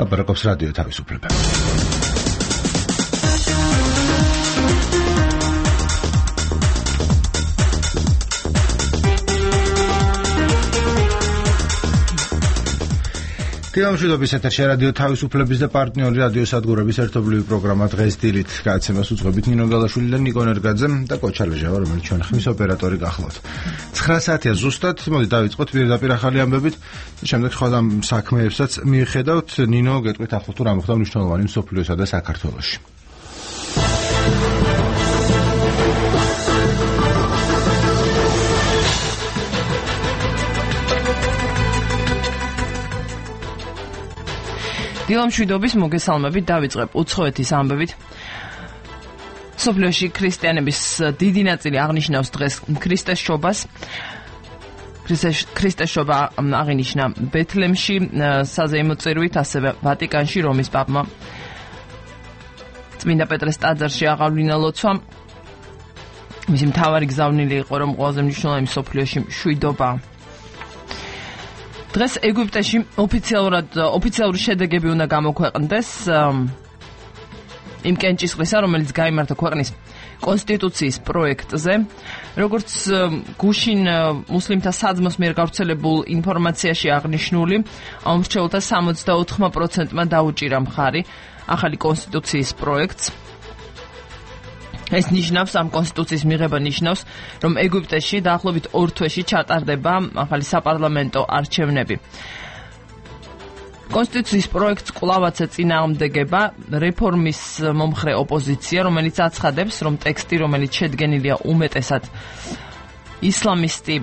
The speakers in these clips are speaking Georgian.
ლაპარაკობს რადიო თავისუფლება. თემამშვიდობის ეთერში რადიო თავისუფლების და პარტნიორი რადიო სადგურების ერთობლივი პროგრამა დღეს დილით გააცემას უძღვებით ნინო გალაშვილი და ნიკო ნერგაძე და კოჩალეჟავა, რომელიც ჩვენ ხმის ოპერატორი გახლავთ. 9 საათია ზუსტად, მოდი დავიწყოთ პირდაპირ ახალი ამბებით, შემდეგ სხვა საქმეებსაც მიხედავთ. ნინო, გეტყვით ახლა თუ რა მოხდა მნიშვნელოვანი მსოფლიოსა და საქართველოში. დილამშვიდობის მოგესალმებით, დავიწყებ უცხოეთის ამბებით. მსოფლიოში ქრისტიანების დიდი ნაწილი აღნიშნავს დღეს ქრისტესშობას. ქრისტესშობა აღინიშნა ბეთლემში, საზეიმო წირვით, ასევე ვატიკანში რომის პაპმა წმინდა პეტრეს ტაძარში აღავლინა ლოცვა. მისი მთავარი გზავნილი იყო, რომ ყველაზე მნიშვნელოვანი მსოფლიოში მშვიდობა. დღეს ეგვიპტეში ოფიციალური შედეგები უნდა გამოქვეყნდეს იმ კენჭისყრისა, რომელიც გაიმართა ქვეყნის კონსტიტუციის პროექტზე. როგორც გუშინ მუსლიმთა საძმოს მიერ გავრცელებულ ინფორმაციაში აღნიშნული, ამ მრჩეველთა 64%-მა დაუჭირა მხარი ახალი კონსტიტუციის პროექტს. ეს ნიშნავს, ამ კონსტიტუციის მიღება ნიშნავს, რომ ეგვიპტეში დაახლოებით 2 თვეში ჩატარდება ახალი საპარლამენტო არჩევნები. კონსტიტუციის პროექტს კვლავაც ეწინააღმდეგება რეფორმის მომხრე ოპოზიცია, რომელიც აცხადებს, რომ ტექსტი, რომელიც შედგენილია უმეტესად ისლამისტი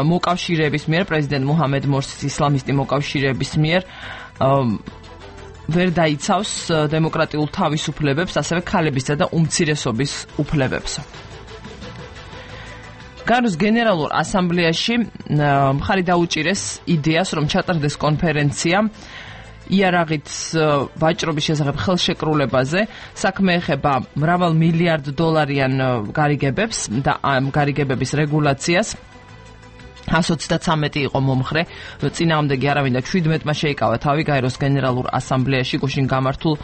მოკავშირეების მიერ, პრეზიდენტ მუჰამედ მორსის ისლამისტი მოკავშირეების მიერ ვერ დაიცავს დემოკრატიულ თავისუფლებებს, ასევე ქალებისა და უმცირესობის უფლებებს. გაეროს გენერალურ ასამბლეაში მხარი დაუჭირეს იდეას, რომ ჩატარდეს კონფერენცია იარაღით ვაჭრობის შესახებ ხელშეკრულებაზე. საქმე ეხება მრავალ მილიარდ დოლარიან გარიგებებს და ამ გარიგებების რეგულაციას. 133 იყო მომხრე, წინააღმდეგი არავინ და 17-მა შეიკავა თავი გაეროს გენერალურ ასამბლეაში გუშინ გამართულ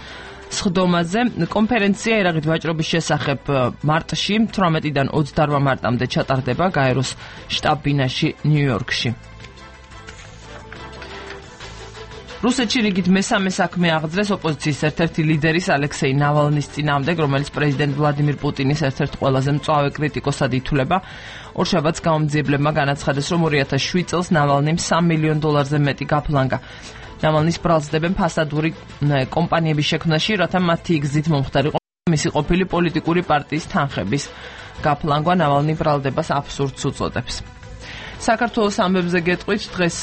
სხდომაზე. კონფერენცია იარაღით ვაჭრობის შესახებ მარტში, 18-დან 28 მარტამდე ჩატარდება გაეროს შტაბ-ბინაში ნიუ-იორკში. რუსეთში რიგით მესამე საქმე აღძრეს ოპოზიციის ერთ-ერთი ლიდერის ალექსეი ნავალნის წინააღმდეგ, რომელიც პრეზიდენტ ვლადიმირ პუტინის ერთ-ერთ ყველაზე მწვავე კრიტიკოსად ითვლება. ორშაბათს გამომძიებლებმა განაცხადეს, რომ 2007 წელს ნავალნიმ $3 მილიონ მეტი გაფლანგა. ნავალნის ბრალსდებენ ფასადური კომპანიების შექმნაში, რათა მათი გზით მომხდარიყო მისი ყოფილი პოლიტიკური პარტიის თანხების გაფლანგვა. ნავალნი ბრალდებას აბსურდს უწოდებს. საქართველოს ამბებზე გეტყვით, დღეს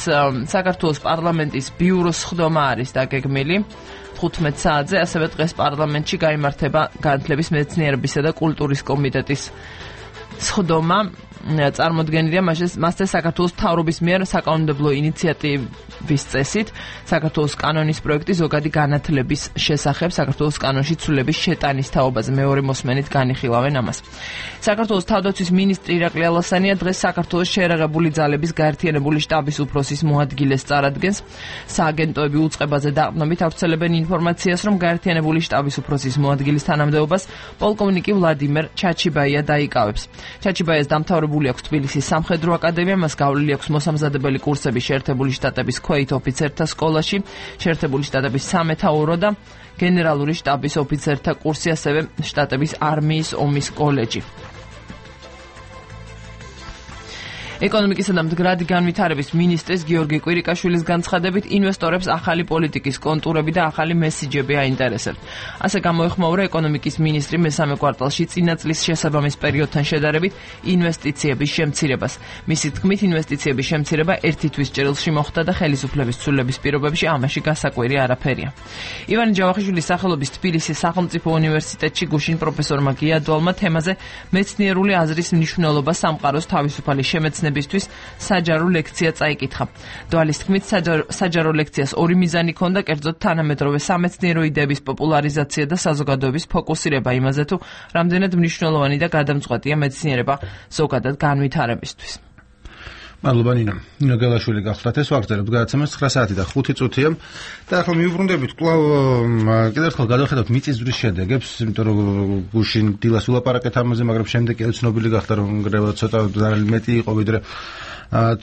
საქართველოს პარლამენტის ბიუროს სხდომა არის დაგეგმილი 15 საათზე, ასევე დღეს პარლამენტში გაიმართება განათლების, მეცნიერებისა და კულტურის კომიტეტის სხდომა. წარმოდგენილია მასზე საქართველოს მთავრობის მიერ საკანონმდებლო ინიციატივის წესით საქართველოს კანონის პროექტი ზოგადი განათლების შესახებ საქართველოს კანონში ცვლილების შეტანის თაობაზე. მეორე მოსმენით განიხილავენ ამას. საქართველოს თავდაცვის მინისტრი ირაკლი ალასანია დღეს საქართველოს შეერაღებული ძალების გაერთიანებული შტაბის უფროსის მოადგილეს წარადგენს. სააგენტოები უწყებაზე დაყრდნობით ავრცელებენ ინფორმაციას, რომ გაერთიანებული შტაბის უფროსის მოადგილის თანამდებობას პოლკოვნიკი ვლადიმერ ჩაჩიბაია დაიკავებს. ჩაჩიბაიას დამთავრებული აქვს თბილისის სამხედრო აკადემია, მას გავლილი აქვს მოსამზადებელი კურსები შეერთებული შტატების ქვეით ოფიცერთა სკოლაში, შეერთებული შტატების სამეთაურო და გენერალური შტაბის ოფიცერთა კურსი, ასევე შტატების არმიის ომის კოლეჯი. ეკონომიკისა და მდგრადი განვითარების მინისტრის გიორგი კვირიკაშვილის განცხადებით, ინვესტორებს ახალი პოლიტიკის კონტურები და ახალი მესიჯები აინტერესებთ. ასე გამოეხმაურა ეკონომიკის მინისტრი მესამე კვარტალში წინა წლის შესაბამის პერიოდთან შედარებით ინვესტიციების შემცირებას. მისი თქმით, ინვესტიციების შემცირება ერთი თვის ჭრილში მოხდა და ხელისუფლების ცვლილების პირობებში ამაში გასაკვირი არაფერია. ივანე ჯავახიშვილის სახელობის თბილისის სახელმწიფო უნივერსიტეტში გუშინ პროფესორმა გიადვალმა თემაზე მეცნიერული აზრის მნიშვნელობა სამყაროს თავისუფალი შემეცნებისთვის საჯარო ლექცია წაიკითხა. დვალის თქმით, საჯარო ლექციას ორი მიზანი ჰქონდა, კერძოდ თანამედროვე სამეცნიერო იდეების პოპულარიზაცია და საზოგადოების ფოკუსირება იმაზე, თუ რამდენად მნიშვნელოვანი და გადამწყვეტია მეცნიერება ზოგადად განვითარებისთვის. მადლობა ნინო. ნინო გელაშვილი გახლდათ ეს ვაგრძელებთ გადაცემას 9 საათი და 5 წუთია და ახლა მივუბრუნდებით კვლავ კიდევ ერთხელ გადავხედავთ მიწისძვრის შედეგებს, იმიტომ რომ გუშინ დილას ვილაპარაკეთ ამაზე, მაგრამ შემდეგ კიდევ ცნობილი გახდა რომ გრევა ცოტა მეტი იყო ვიდრე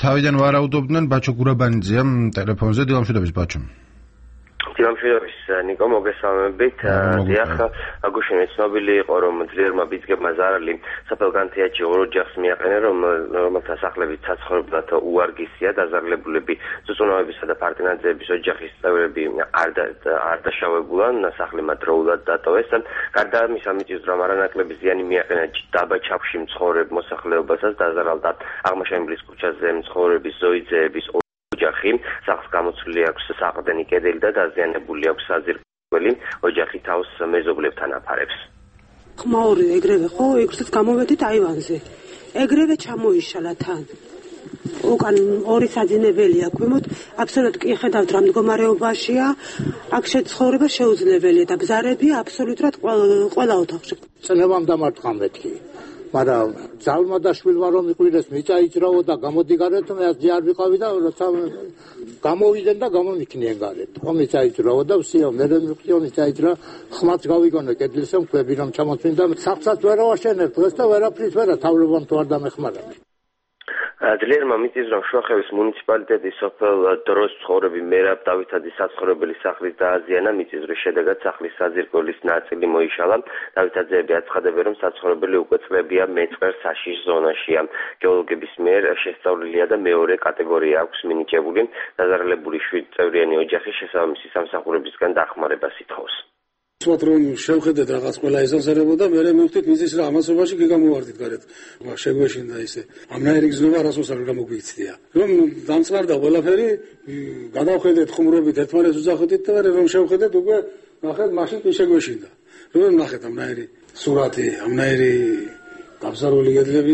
თავიდან ვარაუდობდნენ. ბაჩო გურაბანიძეა ტელეფონზე. დილამშვიდობის ბაჩო. დილამშვიდობის ნიკო, მოგესალმებით. დიახ, გუშინ ცნობილი იყო რომ ძლიერმა ბიძგებმა ზარალი საფელგანთიაჩი ორ ოჯახს მიაყენეს, რომელთა სახლებით საცხოვრებლად უარგისია. დაზარალებულები ზუწუნავებისა და პარტინაძეების ოჯახის წევრები არ დაშავებულან, სახლი მათ დროულად დატოვეს. გარდა ამისა, მიწისძვრამ არანაკლები ზიანი მიაყენა დაბა ჩაფში მცხოვრებ მოსახლეობასაც. დაზარალდა აღმაშენებლის ქუჩაზე მცხოვრების ზოიძეების ოჯახი. სახლს გამოცვლილი აქვს საყრდენი კედელი და დაზიანებული აქვს საძირკველი. ოჯახი თავს მეზობლებთან აფარებს. ხმაური ეგრევე ხო, ეგრეც გამოვედით აივანზე. ეგრევე ჩამოიშალა თან. უკან ორი საძინებელია ქვემოთ, აბსოლუტურად კი ხედავთ რა მდგომარეობაშია. აქ შეცხოვრება შეუძლებელია და ბზარები აბსოლუტურად ყველა ოთახში. წლებამ დამარტყა მეთქი. მაგრამ ძალმა და შვილმა რომ იყვიდეს მიწაიძრაო და გამოდი გარეთ, მე ასე არ ვიყავი და როცა გამოვიდნენ და გამომიქნიან გარეთ. ხო მიწაიძრაო და ვსიო, მე მივხვდიო მიწაიძრა, ხმაც გავიგონე კედლისა მქვები რომ ჩამოწმინდა, სახლსაც ვერ ავაშენებ, დღეს და ვერაფრის ვერა თავლებამ თუ არ დამეხმარა. ძლიერმა მიწისძვრამ შუახევის მუნიციპალიტეტის სოფელ დროს მცხოვრები მერაბ დავითაძის საცხოვრებელი სახლის დააზიანა. მიწისძვრის შედეგად სახლის საძირკვლის ნაწილი მოიშალა. დავითაძეები აცხადებენ, რომ საცხოვრებელი უკვე წლებია მეწყერ საშიშ ზონაშია. გეოლოგების მიერ შესწავლილია და მეორე კატეგორია აქვს მინიჭებული. დაზარალებული 7 წევრიანი ოჯახი შესაბამისი სამსახურებისგან დახმარებას ითხოვს. ვთქვათ რომ შევხედეთ რაღაც ყველა ესანსერებოდა, მე მივხვდით მიწის რა ამასობაში კი გამოვარდით გარეთ. შეგვეშინდა ისე. ამნაირი გზნობა რასოს არ გამოგვიქცდია. რომ დამწყარდა ყველაფერი, გადავხედეთ ხუმრობით, ერთმანეთს უძახოდით და რომ შევხედეთ უკვე ნახეთ მაშინ კი შეგვეშინდა. რომ ნახეთ ამნაირი სურათი, ამნაირი გაბზარული კედლები.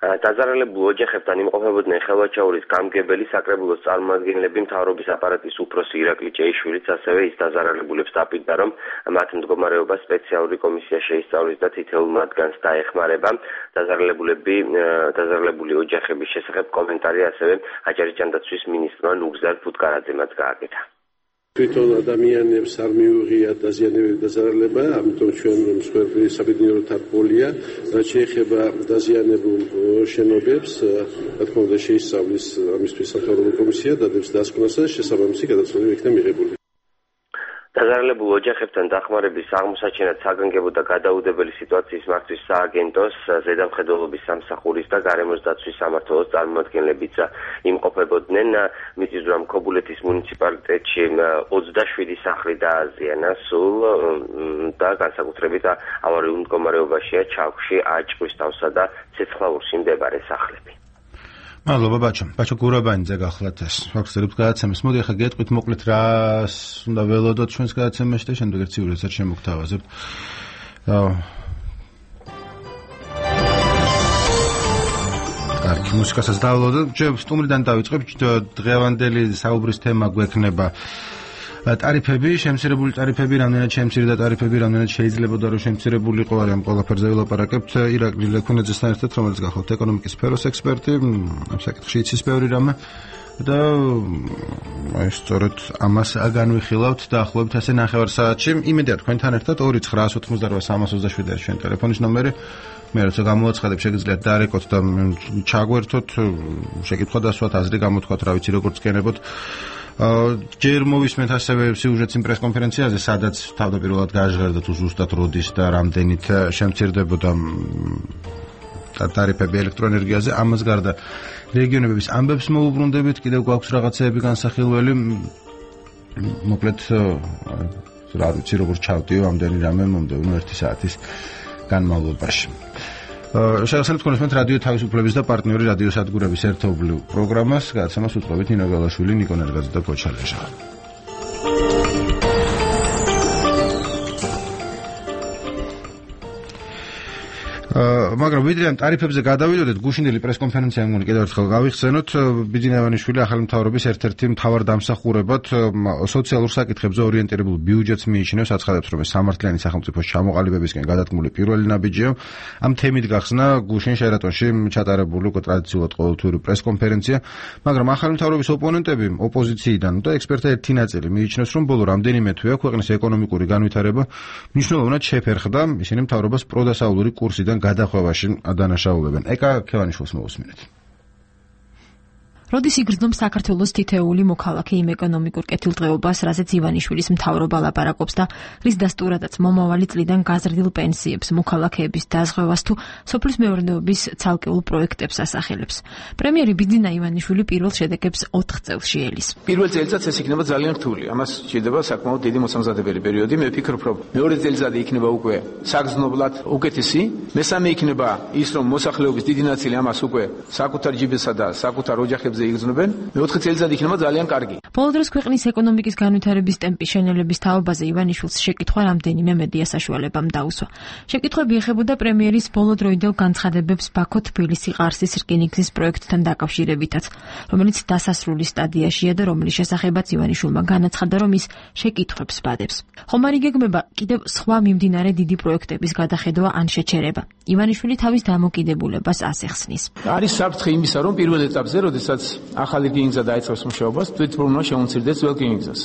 დაზარალებულ ოჯახებთან იმყოფებოდნენ ხელვაჩაურის გამგებელი საკრებულოს წარმომადგენლები, მთავრობის აპარატის უფროსი ირაკლი ჭეიშვილიც, ასევე ის დაზარალებულებს დაპირდა, რომ მათ მდგომარეობა სპეციალური კომისია შეისწავლის და თითოეულ მათგანს დაეხმარება. დაზარალებული ოჯახების შესახებ კომენტარი ასევე აჭარისჭანდაცვის მინისტრმა ნუგზარ ფუტკარაძემაც გააკეთა. თვითონ ადამიანებს არ მიუღია დაზიანებები დაზარალება, ამიტომ ჩვენ მსხვერპლი საბედნიერო თარგმნია, რაც შეეხება დაზიანებულ შენობებს, რა თქმა უნდა შეისწავლის ამისთვის სამთავრობო კომისია და დებს დასკვნას და შესაბამისი გადაწყვეტილება იქნება მიღებული. დაზარალებულ ოჯახებთან დახმარების აღმოსაჩენად საგანგებო და გადაუდებელი სიტუაციის მართვის სააგენტოს, ზედამხედველობის სამსახურის და გარემოს დაცვის სამმართველოს წარმომადგენლებიც იმყოფებოდნენ. მიწისძვრამ ქობულეთის მუნიციპალიტეტში 27 სახლი დააზიანა სულ და განსაკუთრებით ავარიულ მდგომარეობაშია ჩავში, აჭყვისთავსა და ცეცხლაურში მდებარე სახლები. მადლობა ბაჩო. ბაჩო გურაბანიძე გახლავთ ეს. ვაგრძელებთ გადაცემას. მოდი ახლა გეტყვით მოკლედ რას უნდა ველოდოთ ჩვენს გადაცემაში და შემდეგ ერთ ციურისაც შემოგთავაზებთ. კარგი, მუსიკასაც დავველოდოთ. სტუმრიდან დავიწყებ. დღევანდელი საუბრის თემა გვექნება ტარიფები, შემცირებული ტარიფები, რამდენად შემცირდა ტარიფები, რამდენად შეიძლებოდა რომ შემცირებულიყო, ამ ყველაფერზე ვილაპარაკებთ ირაკლი ლექუნაძესთან ერთად, რომელიც გახლავთ ეკონომიკის სფეროს ექსპერტი, ამ საკითხში იცის ბევრი რამე და სწორედ ამას განვიხილავთ დაახლოებით ასე 9 საათში. იმედია თქვენთან ერთად 2988327 ჩვენ ტელეფონის ნომერი. მე როცა გამოაცხადებ, შეგიძლიათ დაარეკოთ და ჩაგვერთოთ, შეკითხვა დასვათ, აზრი გამოთქვათ, რა ვიცი, როგორ წკენებოთ. ჯერ მოვისმენთ ასევე სიუჟეტს იმ პრესკონფერენციაზე, სადაც თავდაპირველად გაჟღერდა თუ ზუსტად როდის და რამდენით შემცირდებოდა ტარიფები ელექტროენერგიაზე. ამას გარდა რეგიონების ამბებს მოუბრუნდებით, კიდევ გვაქვს რაღაცეები განსახილველი. მოკლედ რა ვიცი, როგორ ჩავდიო ამდენი რამე მომდევნო 1 საათის განმავლობაში. შეგახსენებთ კონსმეთ რადიო თავისუფლების და პარტნიორი რადიო სადგურების ერთობლივ პროგრამას, გადაცემას უწყობთ ნინო გალაშვილი, ნიკო ნერგაძე და კოჩა ლეჟა. მაგრამ ვიდრე ამ ტარიფებზე გადავიდოდეთ, გუშინდელი პრესკონფერენცია მგონი კიდევ ერთხელ გავიხსენოთ. ბიძინა ივანიშვილი ახალი მთავრობის ერთ-ერთი მთავარ დამსახურებად სოციალურ საკითხებზე ორიენტირებულ ბიუჯეტს მიიჩნევს, აცხადებს, რომ ეს სამართლიანი სახელმწიფოს ჩამოყალიბებისკენ გადადგმული პირველი ნაბიჯია. ამ თემით გახსნა გუშინ შეერატონში ჩატარებული უკვე ტრადიციულად ყოველთვიური პრესკონფერენცია, მაგრამ ახალი მთავრობის ოპონენტები ოპოზიციიდან და ექსპერტთა ერთი ნაწილი მიიჩნევს, რომ ბოლო რამდენიმე თვეა ქვეყნის ეკონომიკური განვითარება მნიშვნელოვნად შეფერხდა, ისინი მთავრობას პროდასავლური კურსიდან გადახვევაში ადანაშაულებენ. ეკა ქევანიშვილს მოусმინეთ. როდის იგრძნობს საქართველოს თითეული მოქალაქე იმ ეკონომიკურ კეთილდღეობას, რაზეც ივანიშვილის მთავრობა ლაპარაკობს და რის დასტურადაც მომავალი წლიდან გაზრდილ პენსიებს, მოქალაქეების დაზღვევას თუ სოფლის მეურნეობის ცალკეულ პროექტებს ასახელებს. პრემიერი ბიძინა ივანიშვილი პირველ შედეგებს 4 წელში ელის. პირველ წელიწადს ეს იქნება ძალიან რთული. ამას შეიძლება საკმაოდ დიდი მოსამზადებელი პერიოდი. მე ვფიქრობ, რომ მეორე წელიწადი იქნება უკვე საგრძნობლად უკეთესი. მესამე იქნება ის, რომ მოსახლეობის დიდი ნაწილი ამას უკვე საკუთარ ჯიბესა და საკუთარ ოჯახებზე იგრძნობენ. მე-4 წელიწადი იქნება ძალიან კარგი. ბოლო დროს ქვეყნის ეკონომიკის განვითარების ტემპის შენელების თაობაზე ივანიშვილს შეკითხვა რამდენიმე მედია საშუალებამ დაუსვა. შეკითხვები ეხებოდა პრემიერის ბოლოდროინდელ განცხადებებს ბაქო-თბილისი-ყარსის რკინიგზის პროექტთან დაკავშირებითაც, რომელიც დასასრული სტადიაშია და რომლის შესახებაც ივანიშვილმა განაცხადა, რომ ის შეკითხვებს ბადებს. ხომ არ იგეგმება კიდევ სხვა მიმდინარე დიდი პროექტების გადახედვა ან შეჩერება. ივანიშვილი თავის დამოკიდებულებას ასახსნის. არის საფრთხე იმისა, რომ პირველ ეტაპზე, როდესაც ახალი რკინიგზა დაიწყებს მუშაობას, თვითმფრინავმა შეუცირდეს ძველ რკინიგზას.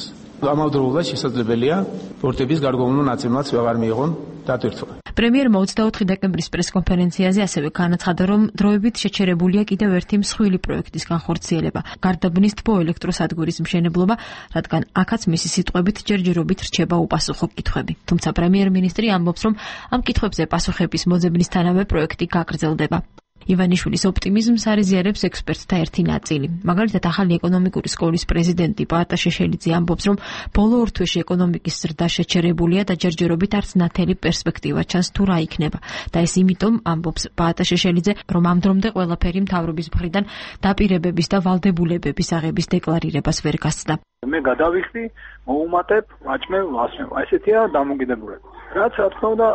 ამავდროულად შესაძლებელია პორტების გარკვეულმა ნაწილმაც ვეღარ მიიღონ დატვირთვა. პრემიერმა 24 დეკემბრის პრესკონფერენციაზე ასევე განაცხადა, რომ დროებით შეჩერებულია კიდევ ერთი მსხვილი პროექტის განხორციელება, გარდაბნის თბოელექტროსადგურის მშენებლობა, რადგან აქაც მისი სიტყვებით ჯერჯერობით რჩება უპასუხო კითხვები. თუმცა პრემიერ-მინისტრი ამბობს, რომ ამ კითხვებზე პასუხების მოძებნისთანავე პროექტი გაგრძელდება. ივანიშვილის ოპტიმიზმს არიზიარებს ექსპერტთა ერთი ნაწილი. მაგალითად, ახალი ეკონომიკური სკოლის პრეზიდენტი პაატა შეშელიძე ამბობს, რომ ბოლო 2 თვეში ეკონომიკის ზრდა შეჩერებულია და ჯერჯერობით არც ნათელი პერსპექტივა ჩანს თუ რა იქნება. და ეს იმიტომ, ამბობს პაატა შეშელიძე, რომ ამ დრომდე ყველაფერი მთავრობის მხრიდან დაპირებების და ვალდებულებების აღების დეკლარირებას ვერ გასცდა. მე გადავიხდი, მოუმატებ, ვაჭმევ, ვასმევ. ესეთია დამოკიდებულება. რაც რა თქმა უნდა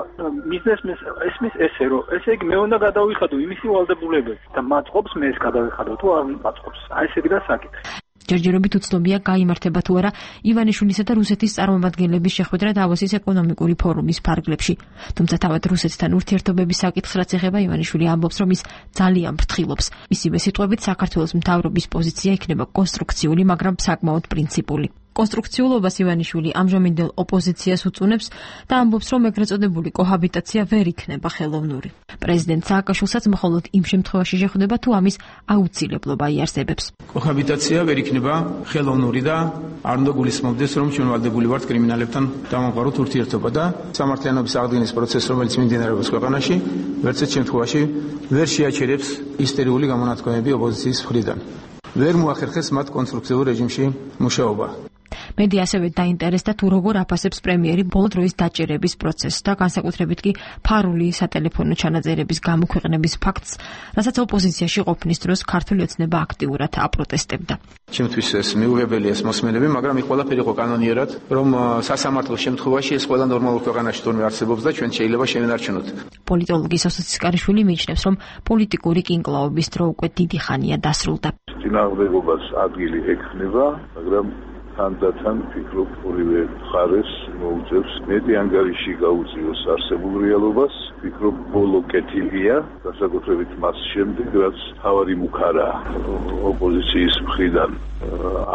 ბიზნესმენს ესმის ესე რომ ესე იგი მე უნდა გადავიხადო იმისი ვალდებულებები და მაწყობს მე ეს გადავიხადო თუ არ მაწყობს. აი ესე იგი და საკითხი. ჯერჯერობით უცნობია გაიმართება თუ არა ივანიშვილისა და რუსეთის წარმომადგენლების შეხვედრა დავოსის ეკონომიკური ფორუმის ფარგლებში. თუმცა თავად რუსეთთან ურთიერთობების საკითხს რაც ეხება, ივანიშვილი ამბობს, რომ ის ძალიან ფრთხილობს. მისივე სიტყვებით, საქართველოს მთავრობის პოზიცია იქნება კონსტრუქციული, მაგრამ საკმაოდ პრინციპული. კონსტრუქციულობას ივანიშვილი ამჟამინდელ ოპოზიციას უწუნებს და ამბობს, რომ ეგრეთ წოდებული კოჰაბიტაცია ვერ იქნება ხელოვნური. პრეზიდენტ სააკაშვილსაც მხოლოდ იმ შემთხვევაში შეხვდება, თუ ამის აუცილებლობა იარსებებს. კოჰაბიტაცია ვერ იქნება ხელოვნური და არ უნდა გულისხმობდეს, რომ ჩვენ ვალდებული ვართ კრიმინალებთან დამამყაროთ ურთიერთობა და სამართლიანობის აღდგენის პროცესს, რომელიც მიმდინარეობს ქვეყანაში, ვერცერთ შემთხვევაში ვერ შეაჩერებს ისტერიული გამონათქვამები ოპოზიციის მხრიდან. ვერ მოახერხეს მათ კონსტრუქციულ რეჟიმში მუშაობა. მედია ასევე დაინტერესდა თუ როგორ აფასებს პრემიერი ბოლო დროის დაჭერების პროცესს და განსაკუთრებით კი ფარული სატელეფონო ჩანაწერების გამოქვეყნების ფაქტს, რასაც ოპოზიციაში ყოფნის დროს ქართული ოცნება აქტიურად აპროტესტებდა. ჩემთვის ეს მიუღებელია ეს მოსმენები, მაგრამ იქ ყველაფერი იყო კანონიერად, რომ სასამართლოს შემთხვევაში ეს ყველა ნორმალურ ქვეყანაში თურმე არსებობს და ჩვენ შეიძლება შევინარჩუნოთ. პოლიტოლოგი სოსო ცისკარიშვილი მიიჩნევს, რომ პოლიტიკური კინკლაობის დრო უკვე დიდი ხანია დასრულდა. წინააღმდეგობას ადგილი ექნება, მაგრამ თანდათან ფიქრობ ორივე მხარეს მოუწევს მეტი ანგარიში გაუწიოს არსებულ რეალობას. ფიქრობ ბოლო კეთილია, განსაკუთრებით მას შემდეგ, რაც თავარი მუქარა ოპოზიციის მხრიდან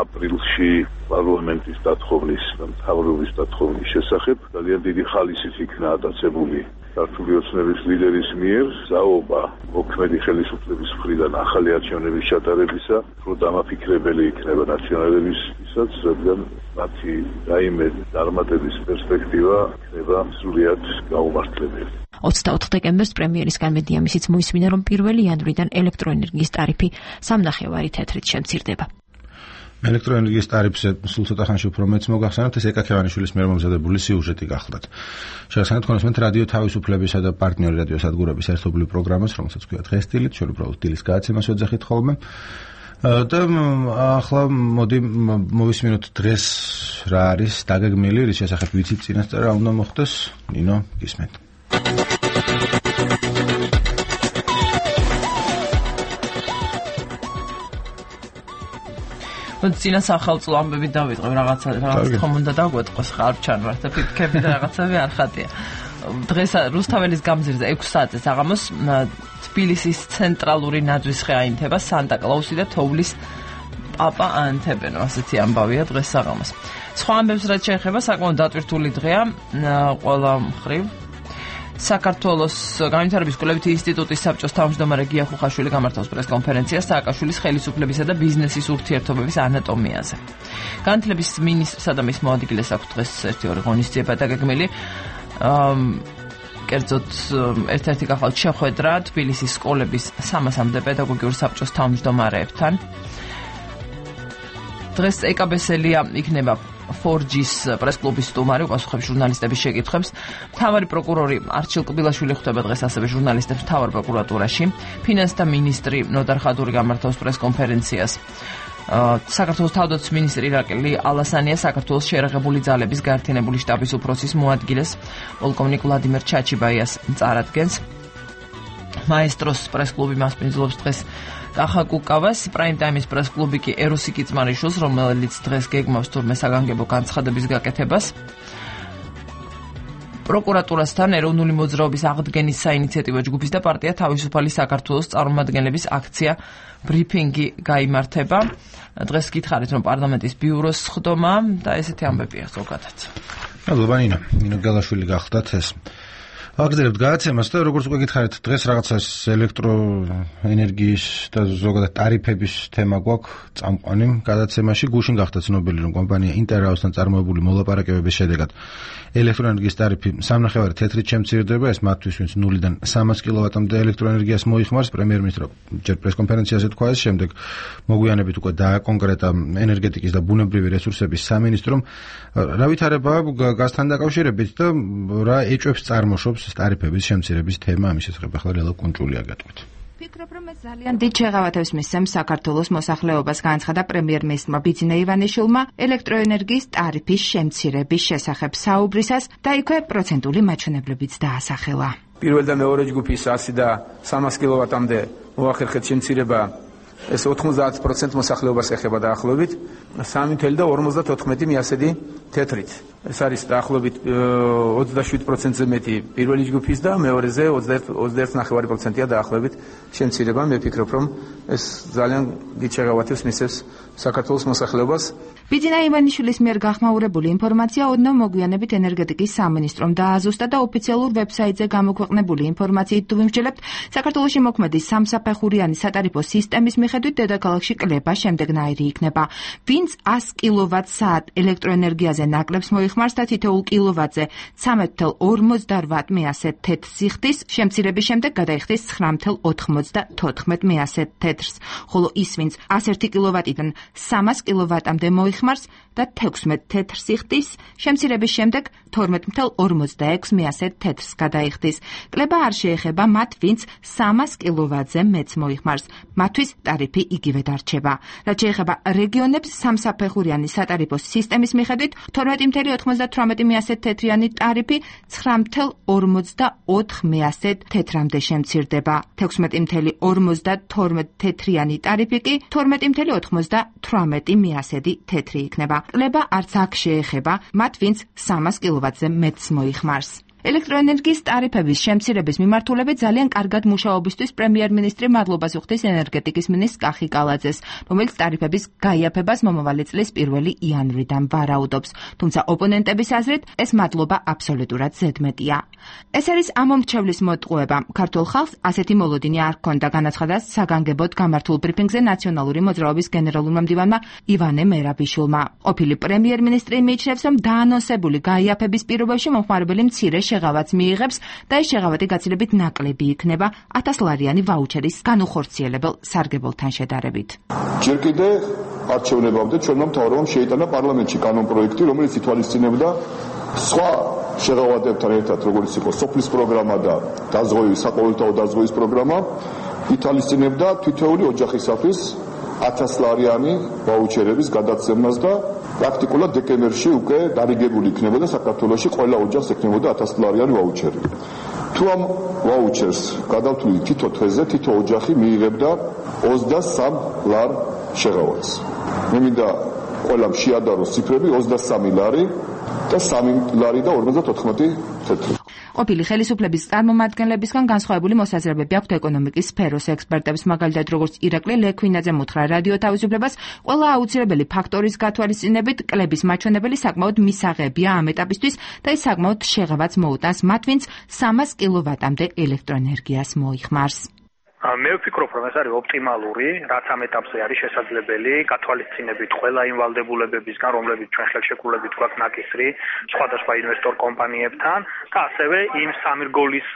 აპრილში პარლამენტის დათხოვნის და მთავრობის დათხოვნის შესახებ ძალიან დიდი ხალისით იქნა ატაცებული ქართული ოცნების ლიდერის მიერ ზაობა მოქმედი ხელისუფლების მხრიდან ახალი არჩევნების ჩატარებისა, რომ დამაფიქრებელი იქნება ნაციონალებისათვის, რადგან მათი რაიმე წარმატების პერსპექტივა იქნება სრულიად გაუმართლებელი. 24 დეკემბერს პრემიერისგან მედია მისიც მოისმინა, რომ 1 იანვრიდან ელექტროენერგიის ტარიფი 3.5 თეთრით შემცირდება. ელექტროენერგიის ტარიფზე სულ ცოტა ხანში უფრო მეც მოგახსენებთ, ეს ეკა ქევანიშვილის მიერ მომზადებული სიუჟეტი გახლდათ. შეგახსენებთ კონსმენთ რადიო თავისუფლებისა და პარტნიორი რადიო სადგურების ერთობლივ პროგრამას, რომელსაც ქვია დღესდღეობით, ჩვენ უბრალოდ დილის გააცემას ვეძახით ხოლმე. და ახლა მოდი მოვისმინოთ დღეს რა არის დაგეგმილი, რის შესახებ ვიცით წინასწარ რა უნდა მოხდეს. ნინო, გისმენთ. წინა სახელმწიფო ამბები დავიწყებ რაღაცა ხომ უნდა დაგვეტყოს ხარჩან რა და ფიქრები და რაღაცები არ ხატია. დღეს რუსთაველის გამზირზე 6 საათზე საღამოს თბილისის ცენტრალური ნაძვის ხე აინთება სანტა-კლაუსი და თოვლის პაპა ანთებენ, ასეთი ამბავია დღეს საღამოს. სხვა ამბებს რაც შეეხება საკმაოდ დატვირთული დღეა ყველა მხრივ. საქართველოს განვითარების კვლევითი ინსტიტუტის საბჭოს თავმჯდომარე გია ხუხაშვილი გამართავს პრესკონფერენციას სააკაშვილის ხელისუფლებისა და ბიზნესის ურთიერთობების ანატომიაზე. განათლების მინისტრსა და მის მოადგილეს აქვს დღეს ერთი-ორი ღონისძიება დაგეგმილი. კერძოდ ერთ-ერთი გახალთ შეხვედრა თბილისის სკოლების 300-მდე პედაგოგიურ საბჭოს თავმჯდომარეებთან. დღეს ეკაბესელია იქნება 4G-ის პრესკლუბის სტუმარი, უპასუხებს ჟურნალისტების შეკითხვებს. მთავარი პროკურორი არჩილ კბილაშვილი ხვდება დღეს ასევე ჟურნალისტებს მთავარ პროკურატურაში. ფინანსთა მინისტრი ნოდარ ხადური გამართავს პრესკონფერენციას. საქართველოს თავდაცვის მინისტრი ირაკლი ალასანია საქართველოს შეერაღებული ძალების გაერთიანებული შტაბის უფროსის მოადგილეს პოლკოვნიკ ვლადიმერ ჩაჩიბაიას წარადგენს. მაესტროს პრესკლუბი მასპინძლობს დღეს კახა კუკავას, პრაიმ ტაიმის პრესკლუბი კი ეროსი კიწმარიშვილს, რომელიც დღეს გეგმავს თურმე საგანგებო განცხადების გაკეთებას. პროკურატურასთან ეროვნული მოძრაობის აღდგენის საინიციატივო ჯგუფის და პარტია თავისუფალი საქართველოს წარმომადგენლების აქცია ბრიფინგი გაიმართება. დღეს გითხარით, რომ პარლამენტის ბიუროს სხდომა და ესეთი ამბებია ზოგადად. მადლობა ნინო. ნინო გელაშვილი გახდათ ეს. აგრძელებთ გადაცემას და როგორც უკვე გითხარით, დღეს რაღაცა ელექტროენერგიის და ზოგადად ტარიფების თემა გვაქვს წამყვანი გადაცემაში. გუშინ გახდა ცნობილი, რომ კომპანია ინტერაუსთან წარმოებული მოლაპარაკებების შედეგად ელექტროენერგიის ტარიფი 3.5 თეთრით შემცირდება, ეს მათთვის, ვინც 0-დან 300 კილოვატამდე ელექტროენერგიას მოიხმარს. პრემიერ-მინისტრი ჯერ პრესკონფერენციაზე თქვა ეს, შემდეგ მოგვიანებით უკვე დააკონკრეტა ენერგეტიკის და ბუნებრივი რესურსების სამინისტრომ რა ვითარება გაზთან დაკავშირებით და რა ეჭვებს წარმოშობს ტარიფების შემცირების თემა. ამის შესახებ ახლა რელა კუნჭულია გეტყვით. ფიქრობ, რომ ეს ძალიან დიდ შეღავათებს მისცემს საქართველოს მოსახლეობას, განაცხადა პრემიერ-მინისტრმა ბიძინა ივანიშვილმა ელექტროენერგიის ტარიფის შემცირების შესახებ საუბრისას და იქვე პროცენტული მაჩვენებლებიც დაასახელა. პირველ და მეორე ჯგუფის 100 და 300 კილოვატამდე მოახერხეთ შემცირება, ეს 90% მოსახლეობას ეხება დაახლოებით 3.54 მიასედი თეთრით. ეს არის დაახლოებით 27%-ზე მეტი პირველი ჯგუფის და მეორეზე 21.5%-ია დაახლოებით შემცირება. მე ვფიქრობ, რომ ეს ძალიან დიდ შეღავათებს მისცემს საქართველოს მოსახლეობას. ბიძინა ივანიშვილის მიერ გახმაურებული ინფორმაცია ოდნავ მოგვიანებით ენერგეტიკის სამინისტრომ დააზუსტა და ოფიციალურ ვებსაიტზე გამოქვეყნებული ინფორმაციით თუ ვიმსჯელებთ, საქართველოში მოქმედი სამსაფეხურიანი სატარიფო სისტემის მიხედვით დედაქალაქში კლება შემდეგნაირი იქნება. ვინც 100 კილოვატ-საათ ელექტროენერგიაზე ნაკლებს მოიხმარს და თითოეულ კილოვატზე 13.48 მიასედ თეთრ სიხდის, შემცირების შემდეგ გადაიხდის 9.94 მიასედ თეთრს, ხოლო ის, ვინც 101 კილოვატიდან 300 კილოვატამდე მოიხმარს და 16 თეთრ სიხდის, შემცირების შემდეგ 12.46 მიასედ თეთრს გადაიხდის. კლება არ შეეხება მათ, ვინც 300 კილოვატზე მეც მოიხმარს. მათთვის ტარიფი იგივე დარჩება. რაც შეეხება რეგიონებს, სამსაფეხურიანი სატარიფო სისტემის მიხედვით 12.98 მიასედ თეთრიანი ტარიფი 9.44 მიასედ თეთრამდე შემცირდება. 16.52 თეთრიანი ტარიფი კი 12.98 მიასედი თეთრი იქნება. კლება არც აქ შეეხება მათ, ვინც 300 კილოვატზე მეტს მოიხმარს. ელექტროენერგიის ტარიფების შემცირების მიმართულებით ძალიან კარგად მუშაობისთვის პრემიერ-მინისტრი მადლობას უხდის ენერგეტიკის მინისტრ კახი კალაძეს, რომელიც ტარიფების გაიაფებას მომავალი წლის 1 იანვრიდან ვარაუდობს. თუმცა ოპონენტების აზრით, ეს მადლობა აბსოლუტურად ზედმეტია. ეს არის ამომრჩევლის მოტყუება. ქართულ ხალხს ასეთი მოლოდინი არ ჰქონდა, განაცხადა საგანგებოდ გამართულ ბრიფინგზე ნაციონალური მოძრაობის გენერალურმა მდივანმა ივანე მერაბიშვილმა. ყოფილი პრემიერ-მინისტრი მიიჩნევს, რომ დაანონსებული გაიაფების პირობებში მომხმარებელი მცირე შეღავათს მიიღებს და ეს შეღავათი გაცილებით ნაკლები იქნება 1000 ლარიანი ვაუჩერის განუხორციელებელ სარგებელთან შედარებით. ჯერ კიდევ არჩევნებამდე ჩვენმა მთავრობამ შეიტანა პარლამენტში კანონპროექტი, რომელიც ითვალისწინებდა სხვა შეღავათებთან ერთად, როგორც იყო სოფლის პროგრამა და დაზღვევის, საყოველთაო დაზღვევის პროგრამა, ითვალისწინებდა თითოეული ოჯახისათვის 1000 ლარიანი ვაუჩერების გადაცემას და პრაქტიკულად დეკემბერში უკვე დარიგებული იქნებოდა საქართველოში ყველა ოჯახს ექნებოდა 1000 ლარიანი ვაუჩერი. თუ ამ ვაუჩერს გადავთვლით თითო თვეზე, თითო ოჯახი მიიღებდა 23 ლარ შეღავათს. მე მინდა ყველამ შეადაროს ციფრები 23 ლარი და 3 ლარი და 54 თეთრი. ყოფილი ხელისუფლების წარმომადგენლებისგან განსხვავებული მოსაზრებები აქვთ ეკონომიკის სფეროს ექსპერტებს, მაგალითად როგორც ირაკლი ლექვინაძე მოთხრა რადიო თავისუფლებას, ყველა აუცილებელი ფაქტორის გათვალისწინებით კლების მაჩვენებელი საკმაოდ მისაღებია ამ ეტაპისთვის და ის საკმაოდ შეღავათს მოუტანს მათ, ვინც 300 კილოვატამდე ელექტროენერგიას მოიხმარს. მე ვფიქრობ, რომ ეს არის ოპტიმალური, რაც ამ ეტაპზე არის შესაძლებელი, გათვალისწინებით ყველა იმ ვალდებულებებისგან, რომლებიც ჩვენ ხელშეკრულებით გვაქვს ნაკისრი სხვადასხვა ინვესტორ კომპანიებთან და ასევე იმ სამირგოლის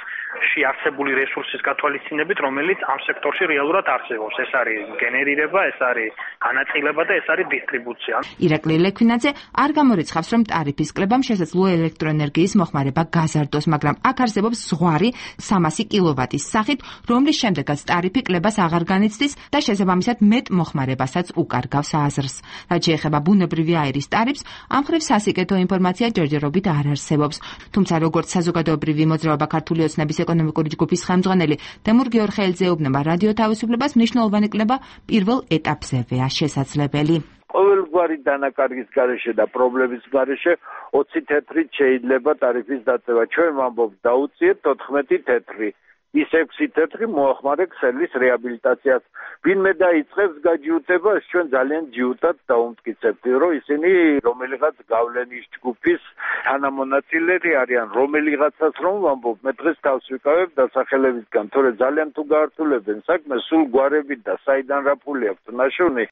არსებული რესურსის გათვალისწინებით, რომელიც ამ სექტორში რეალურად არსებობს. ეს არის გენერირება, ეს არის განაწილება და ეს არის დისტრიბუცია. ირაკლი ლექვინაძე არ გამორიცხავს, რომ ტარიფის კლებამ შესაძლოა ელექტროენერგიის მოხმარება გაზარდოს, მაგრამ აქ არსებობს ზღვარი 300 კილოვატის სახით, რომლის შემდეგაც ტარიფი კლებას აღარ განიცდის და შესაბამისად მეტ მოხმარებასაც უკარგავს აზრს. რაც შეეხება ბუნებრივი აირის ტარიფს, ამ მხრივ სასიკეთო ინფორმაცია ჯერჯერობით არ არსებობს. თუმცა როგორც საზოგადოებრივი მოძრაობა ქართული ოცნების ეკონომიკური ჯგუფის ხელმძღვანელი თემურ გიორხელიძე ეუბნება რადიო თავისუფლებას, მნიშვნელოვანი კლება პირველ ეტაპზევეა შესაძლებელი. ყოველგვარი დანაკარგის გარეშე და პრობლემის გარეშე 20 თეთრით შეიძლება ტარიფის დაწევა. ჩვენ ვამბობთ დაუწიეთ 14 თეთრი. ის 6 თეთრი მოახმარე ქსელის რეაბილიტაციას. ვინმე დაიწყებს გაჯიუტებას, ჩვენ ძალიან ჯიუტად დაუმტკიცებთ, რომ ისინი რომელიღაც გავლენის ჯგუფის თანამონაწილეები არიან, რომელიღაცას რომ ვამბობ, მე დღეს თავს ვიკავებ დასახელებისგან, თორე ძალიან თუ გაართულებენ საქმეს, სულ გვარებით და საიდან რა ფული აქვს ნაშოვნი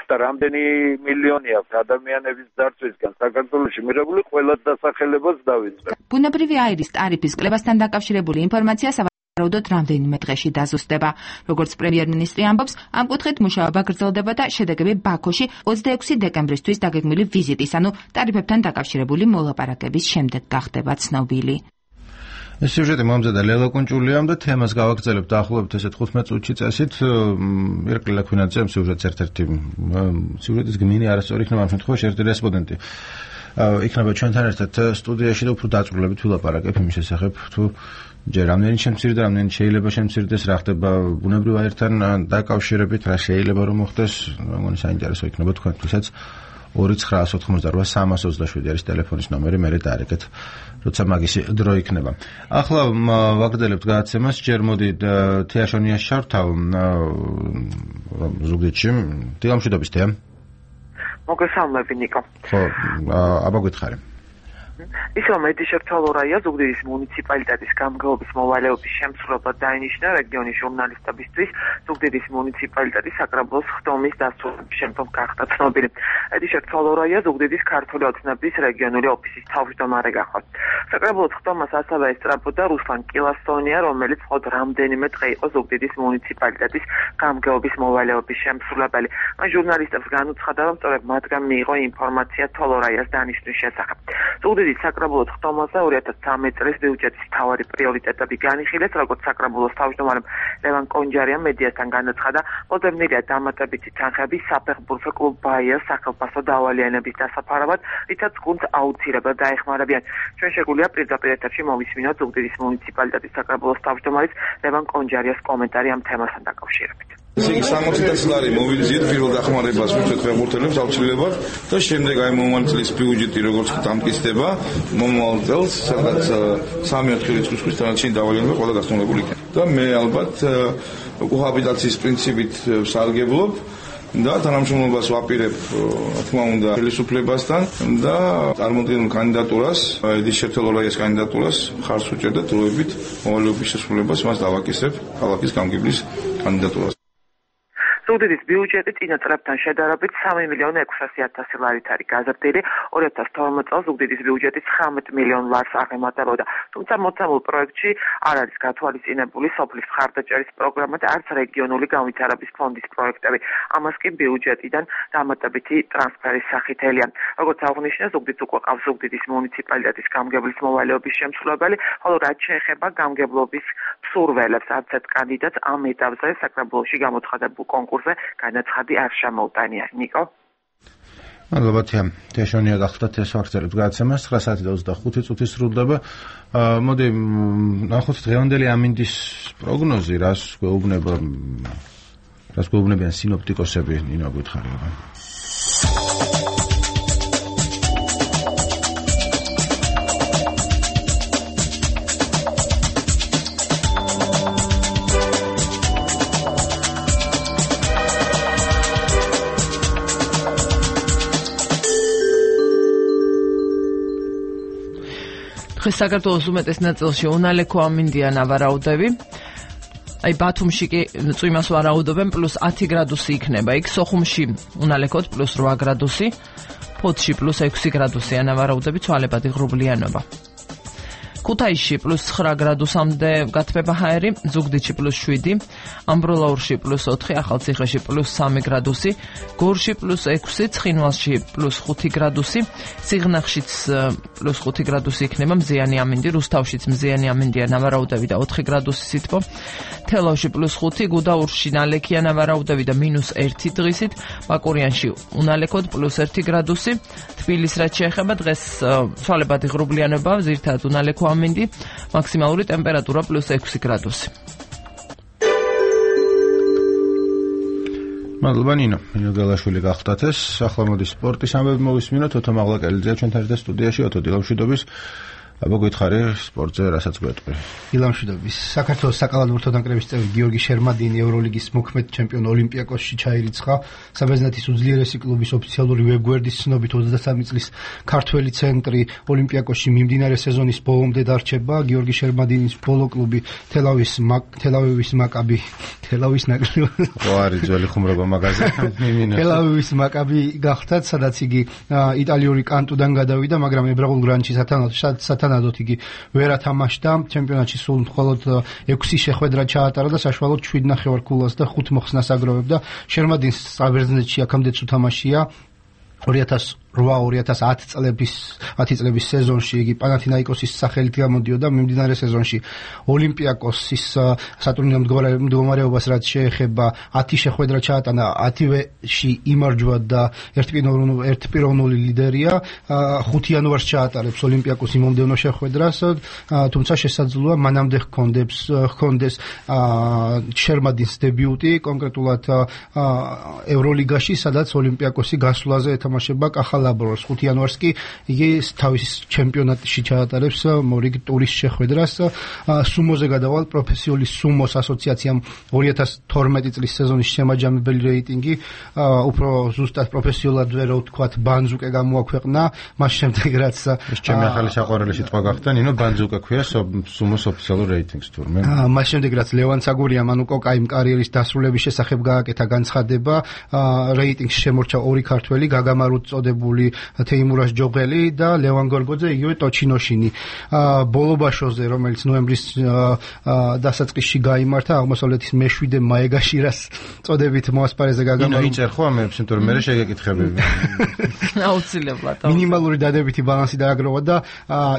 და რამდენი მილიონი აქვს ადამიანების დარწვისგან საქართველოში მიღებული ყველა დასახელებას დავიწყებ. ბუნებრივი აირის ტარიფის კლებასთან დაკავშირებული ინფორმაცია რაუდოდ რამდენიმე დღეში დაზუსტება. როგორც პრემიერ-მინისტრი ამბობს, ამ კუთხით მუშაობა გრძელდება და შედეგები ბაქოში 26 დეკემბრისთვის დაგეგმილი ვიზიტის, ანუ ტარიფებთან დაკავშირებული მოლაპარაკების შემდეგ გახდება ცნობილი. ეს სიუჟეტი მომზადა ლელა კუნჭულიამ და თემას გავაგრძელებთ დაახლოებით ესეთ 15 წუთში წესით. ირაკლი ლექვინაძე ამ სიუჟეტს ერთ-ერთი სიუჟეტის გმინი არასწორი იქნება ამ შემთხვევაში ერთი რესპონდენტი. იქნება ჩვენთან ერთად სტუდიაში და უფრო დაწვრილებით ვილაპარაკებ იმის შესახებ, თუ ჯერ რამდენი შემცირდა, რამდენი შეიძლება შემცირდეს, რა ხდება ბუნებრივ აირთან დაკავშირებით, რა შეიძლება რომ მოხდეს, მეგონი საინტერესო იქნება თქვენთვისაც. 2988 არის ტელეფონის ნომერი, მე დაარეკეთ, როცა მაგისი დრო იქნება. ახლა ვაგრძელებთ გადაცემას, ჯერ მოდი თეაშონიას შართავ ზუგდიდში. დილამშვიდობის თეა. მოგესალმები ნიკო. ხო, აბა გითხარი. ისო მედიშერტოლორაია ზუგდიდის მუნიციპალიტეტის გამგეობის მოვალეობის შემსრულებლად დაინიშნა რეგიონის ჟურნალისტებისთვის ზუგდიდის მუნიციპალიტეტის საკრებულოს ხდომის დასრულების შემდგომ გახდა ცნობილი. მედიშერტოლორაია ზუგდიდის ქართული ოცნების რეგიონული ოფისის თავმჯდომარე გახდა. საკრებულოს ხდომას ასევე ესწრაფოდა რუსლან კილასონია, რომელიც მხოლოდ რამდენიმე დღე იყო ზუგდიდის მუნიციპალიტეტის გამგეობის მოვალეობის შემსრულებელი. მან ჟურნალისტებს განუცხადა, რომ სწორედ მათგან მიიღო ინფორმაცია თოლორაიას დანიშვნის შესახებ. ზუგდიდის საკრებულოს ხდომაზე 2013 წლის ბიუჯეტის მთავარი პრიორიტეტები განიხილეს, როგორც საკრებულოს თავმჯდომარემ ლევან კონჯარიამ მედიასთან განაცხადა, მოდევნილია დამატებითი თანხები საფეხბურთო კლუბ ბაიას სახელმწიფო დავალიანების დასაფარავად, რითაც გუნდს აუცილებლად დაეხმარებიან. ჩვენ შეგვიძლია პირდაპირ ეთერში მოვისმინოთ ზუგდიდის მუნიციპალიტეტის საკრებულოს თავმჯდომარის ლევან კონჯარიას კომენტარი ამ თემასთან დაკავშირებით. ესე იგი 60 ლარი მოვიზიეთ პირველ დახმარებას მისცეთ ფეხბურთელებს აუცილებლად და შემდეგ აი მომავალ წლის ბიუჯეტი როგორც დამტკიცდება მომავალ წელს სადაც 3-4 რიცხვის თანაშინ დავალიანება ყველა გასწავლებული იქნება. და მე ალბათ კოჰაბიტაციის პრინციპით ვსარგებლობ და თანამშრომლობას ვაპირებ რა თქმა უნდა ხელისუფლებასთან და წარმოადგენულ კანდიდატურას ედის შერტოლორაიას კანდიდატურას ხარს უჭერ და დროებით მოვალეობის შესრულებას მას დავაკისებ ქალაქის გამგებლის კანდიდატურას. ზუგდიდის ბიუჯეტი წინა წლებთან შედარებით 3.600.000 ლარით არის გაზრდილი. 2012 წელს ზუგდიდის ბიუჯეტი 19 მილიონ ლარს აღემატებოდა. თუმცა მოცემულ პროექტში არ არის გათვალისწინებული სოფლის მხარდაჭერის პროგრამა და არც რეგიონული განვითარების ფონდის პროექტები. ამას კი ბიუჯეტიდან დამატებითი ტრანსფერის სახით ელიან. როგორც აღნიშნა, ზუგდიდს უკვე ყავს ზუგდიდის მუნიციპალიტეტის გამგებლის მოვალეობის შემსრულებელი, ხოლო რაც შეეხება გამგებლობის მსურველებს, არც ერთ კანდიდატს ამ ეტაპზე საკრებულოში გამოცხადებულ კონკურსზე განაცხადი არ შემოუტანია. ნიკო. მადლობა თეაშონია გახლდათ ეს ვაგრძელებთ გადაცემას 9:25 წუთი სრულდება. მოდი ნახოთ დღევანდელი ამინდის პროგნოზი, რას გვეუბნება რას გვეუბნებიან სინოპტიკოსები, ნინო გითხარია. საქართველოს უმეტეს ნაწილში უნალექო ამინდია ნავარაუდები. აი ბათუმში კი წვიმას ვარაუდობენ +10 გრადუსი იქნება. იქ სოხუმში უნალექოდ +8 გრადუსი, ფოთში +6 გრადუსია ნავარაუდები, ცვალებადი ღრუბლიანობა. ქუთაისში +9 გრადუსამდე გათბება ჰაერი, ზუგდიდში +7, ამბროლაურში +4, ახალციხეში +3 გრადუსი, გორში +6, ცხინვალში +5 გრადუსი, სიღნაღშიც +5 გრადუსი იქნება, მზიანი ამინდი, რუსთავშიც მზიანი ამინდია ნავარაუდები და 4 გრადუსი სითბო, თელავში +5, გუდაურში ნალექია ნავარაუდები და -1 დღისით, ბაკურიანში უნალექოდ +1 გრადუსი, თბილის რაც შეეხება დღეს ცვალებადი ღრუბლიანობა, ზირთად უნალექო ამინდი, მაქსიმალური ტემპერატურა +6 გრადუსი. მადლობა ნინო გელაშვილი გახდათ ეს. ახლა მოდი სპორტის ამბები მოვისმინოთ. ოთო მაღლაკელიძე ჩვენთან ერთად სტუდიაში. ოთო დილამშვიდობის. აბა გითხარი სპორტზე რასაც გვეტყვი. დილამშვიდობის. საქართველოს საკალათბურთო ნაკრების წევრი გიორგი შერმადინი ევროლიგის მოქმედ ჩემპიონ ოლიმპიაკოსში ჩაირიცხა. საბერძნეთის უძლიერესი კლუბის ოფიციალური ვებგვერდის ცნობით 23 წლის ქართველი ცენტრი ოლიმპიაკოსში მიმდინარე სეზონის ბოლომდე დარჩება. გიორგი შერმადინის ბოლო კლუბი თელ-ავივის მაკაბი თელ-ავის ნაკრები. ხო არის ძველი ხუმრობა მაგაზე. თელ-ავივის მაკაბი გახდა, სადაც იგი იტალიური კანტუდან გადავიდა, მაგრამ ებრაულ გრანჩი სათანადოდ იგი ვერ ათამაშდა. ჩემპიონატში სულ მხოლოდ 6 შეხვედრა ჩაატარა და საშუალოდ 7.5 ქულას და 5 მოხსნას აგროვებდა. შერმადინს საბერძნეთში აქამდე უთამაშია 2008-2010 წლების სეზონში იგი პანათინაიკოსის სახელით გამოდიოდა. მიმდინარე სეზონში ოლიმპიაკოსის სატურნირო მდგომარეობას რაც შეეხება 10 შეხვედრა ჩაატანა, 10-ში იმარჯვა და ერთპიროვნული ლიდერია. 5 იანვარს ჩაატარებს ოლიმპიაკოსი მომდევნო შეხვედრას, თუმცა შესაძლოა მანამდე ჰქონდეს შერმადინს დებიუტი, კონკრეტულად ევროლიგაში, სადაც ოლიმპიაკოსი გასვლაზე ეთამაშება კახალაბროს. 5 იანვარს კი იგი თავის ჩემპიონატში ჩაატარებს მორიგ ტურის შეხვედრას. სუმოზე გადავალ. პროფესიული სუმოს ასოციაციამ 2012 წლის სეზონის შემაჯამებელი რეიტინგი, უფრო ზუსტად პროფესიულად ვერ ვთქვათ, ბანძუკე გამოაქვეყნა. მას შემდეგ რაც ჩემი ახალი საყვარელი სიტყვა გახდა, ნინო ბანძუკე ქვია სუმოს ოფიციალურ რეიტინგს თურმე. მას შემდეგ რაც ლევან ცაგურიამ ანუ კოკაიმ კარიერის დასრულების შესახებ გააკეთა განცხადება, რეიტინგს შემორჩა 2 ქართველი, გაგამარუც წოდებული თეიმურას ჯოღელი და ლევან გორგოძე, იგივე ტოჩინოშინი. ბოლობაშოზე, რომელიც ნოემბრის დასაწყისში გაიმართა, აღმოსავლეთის მეშვიდე მაეგაშირას წოდებით მოასპარეზე გაგამარუ. იჭერ ხო ამებს, იმიტომ რომ მე შეგეკითხებები. აუცილებლად. მინიმალური დადებითი ბალანსი დააგროვა და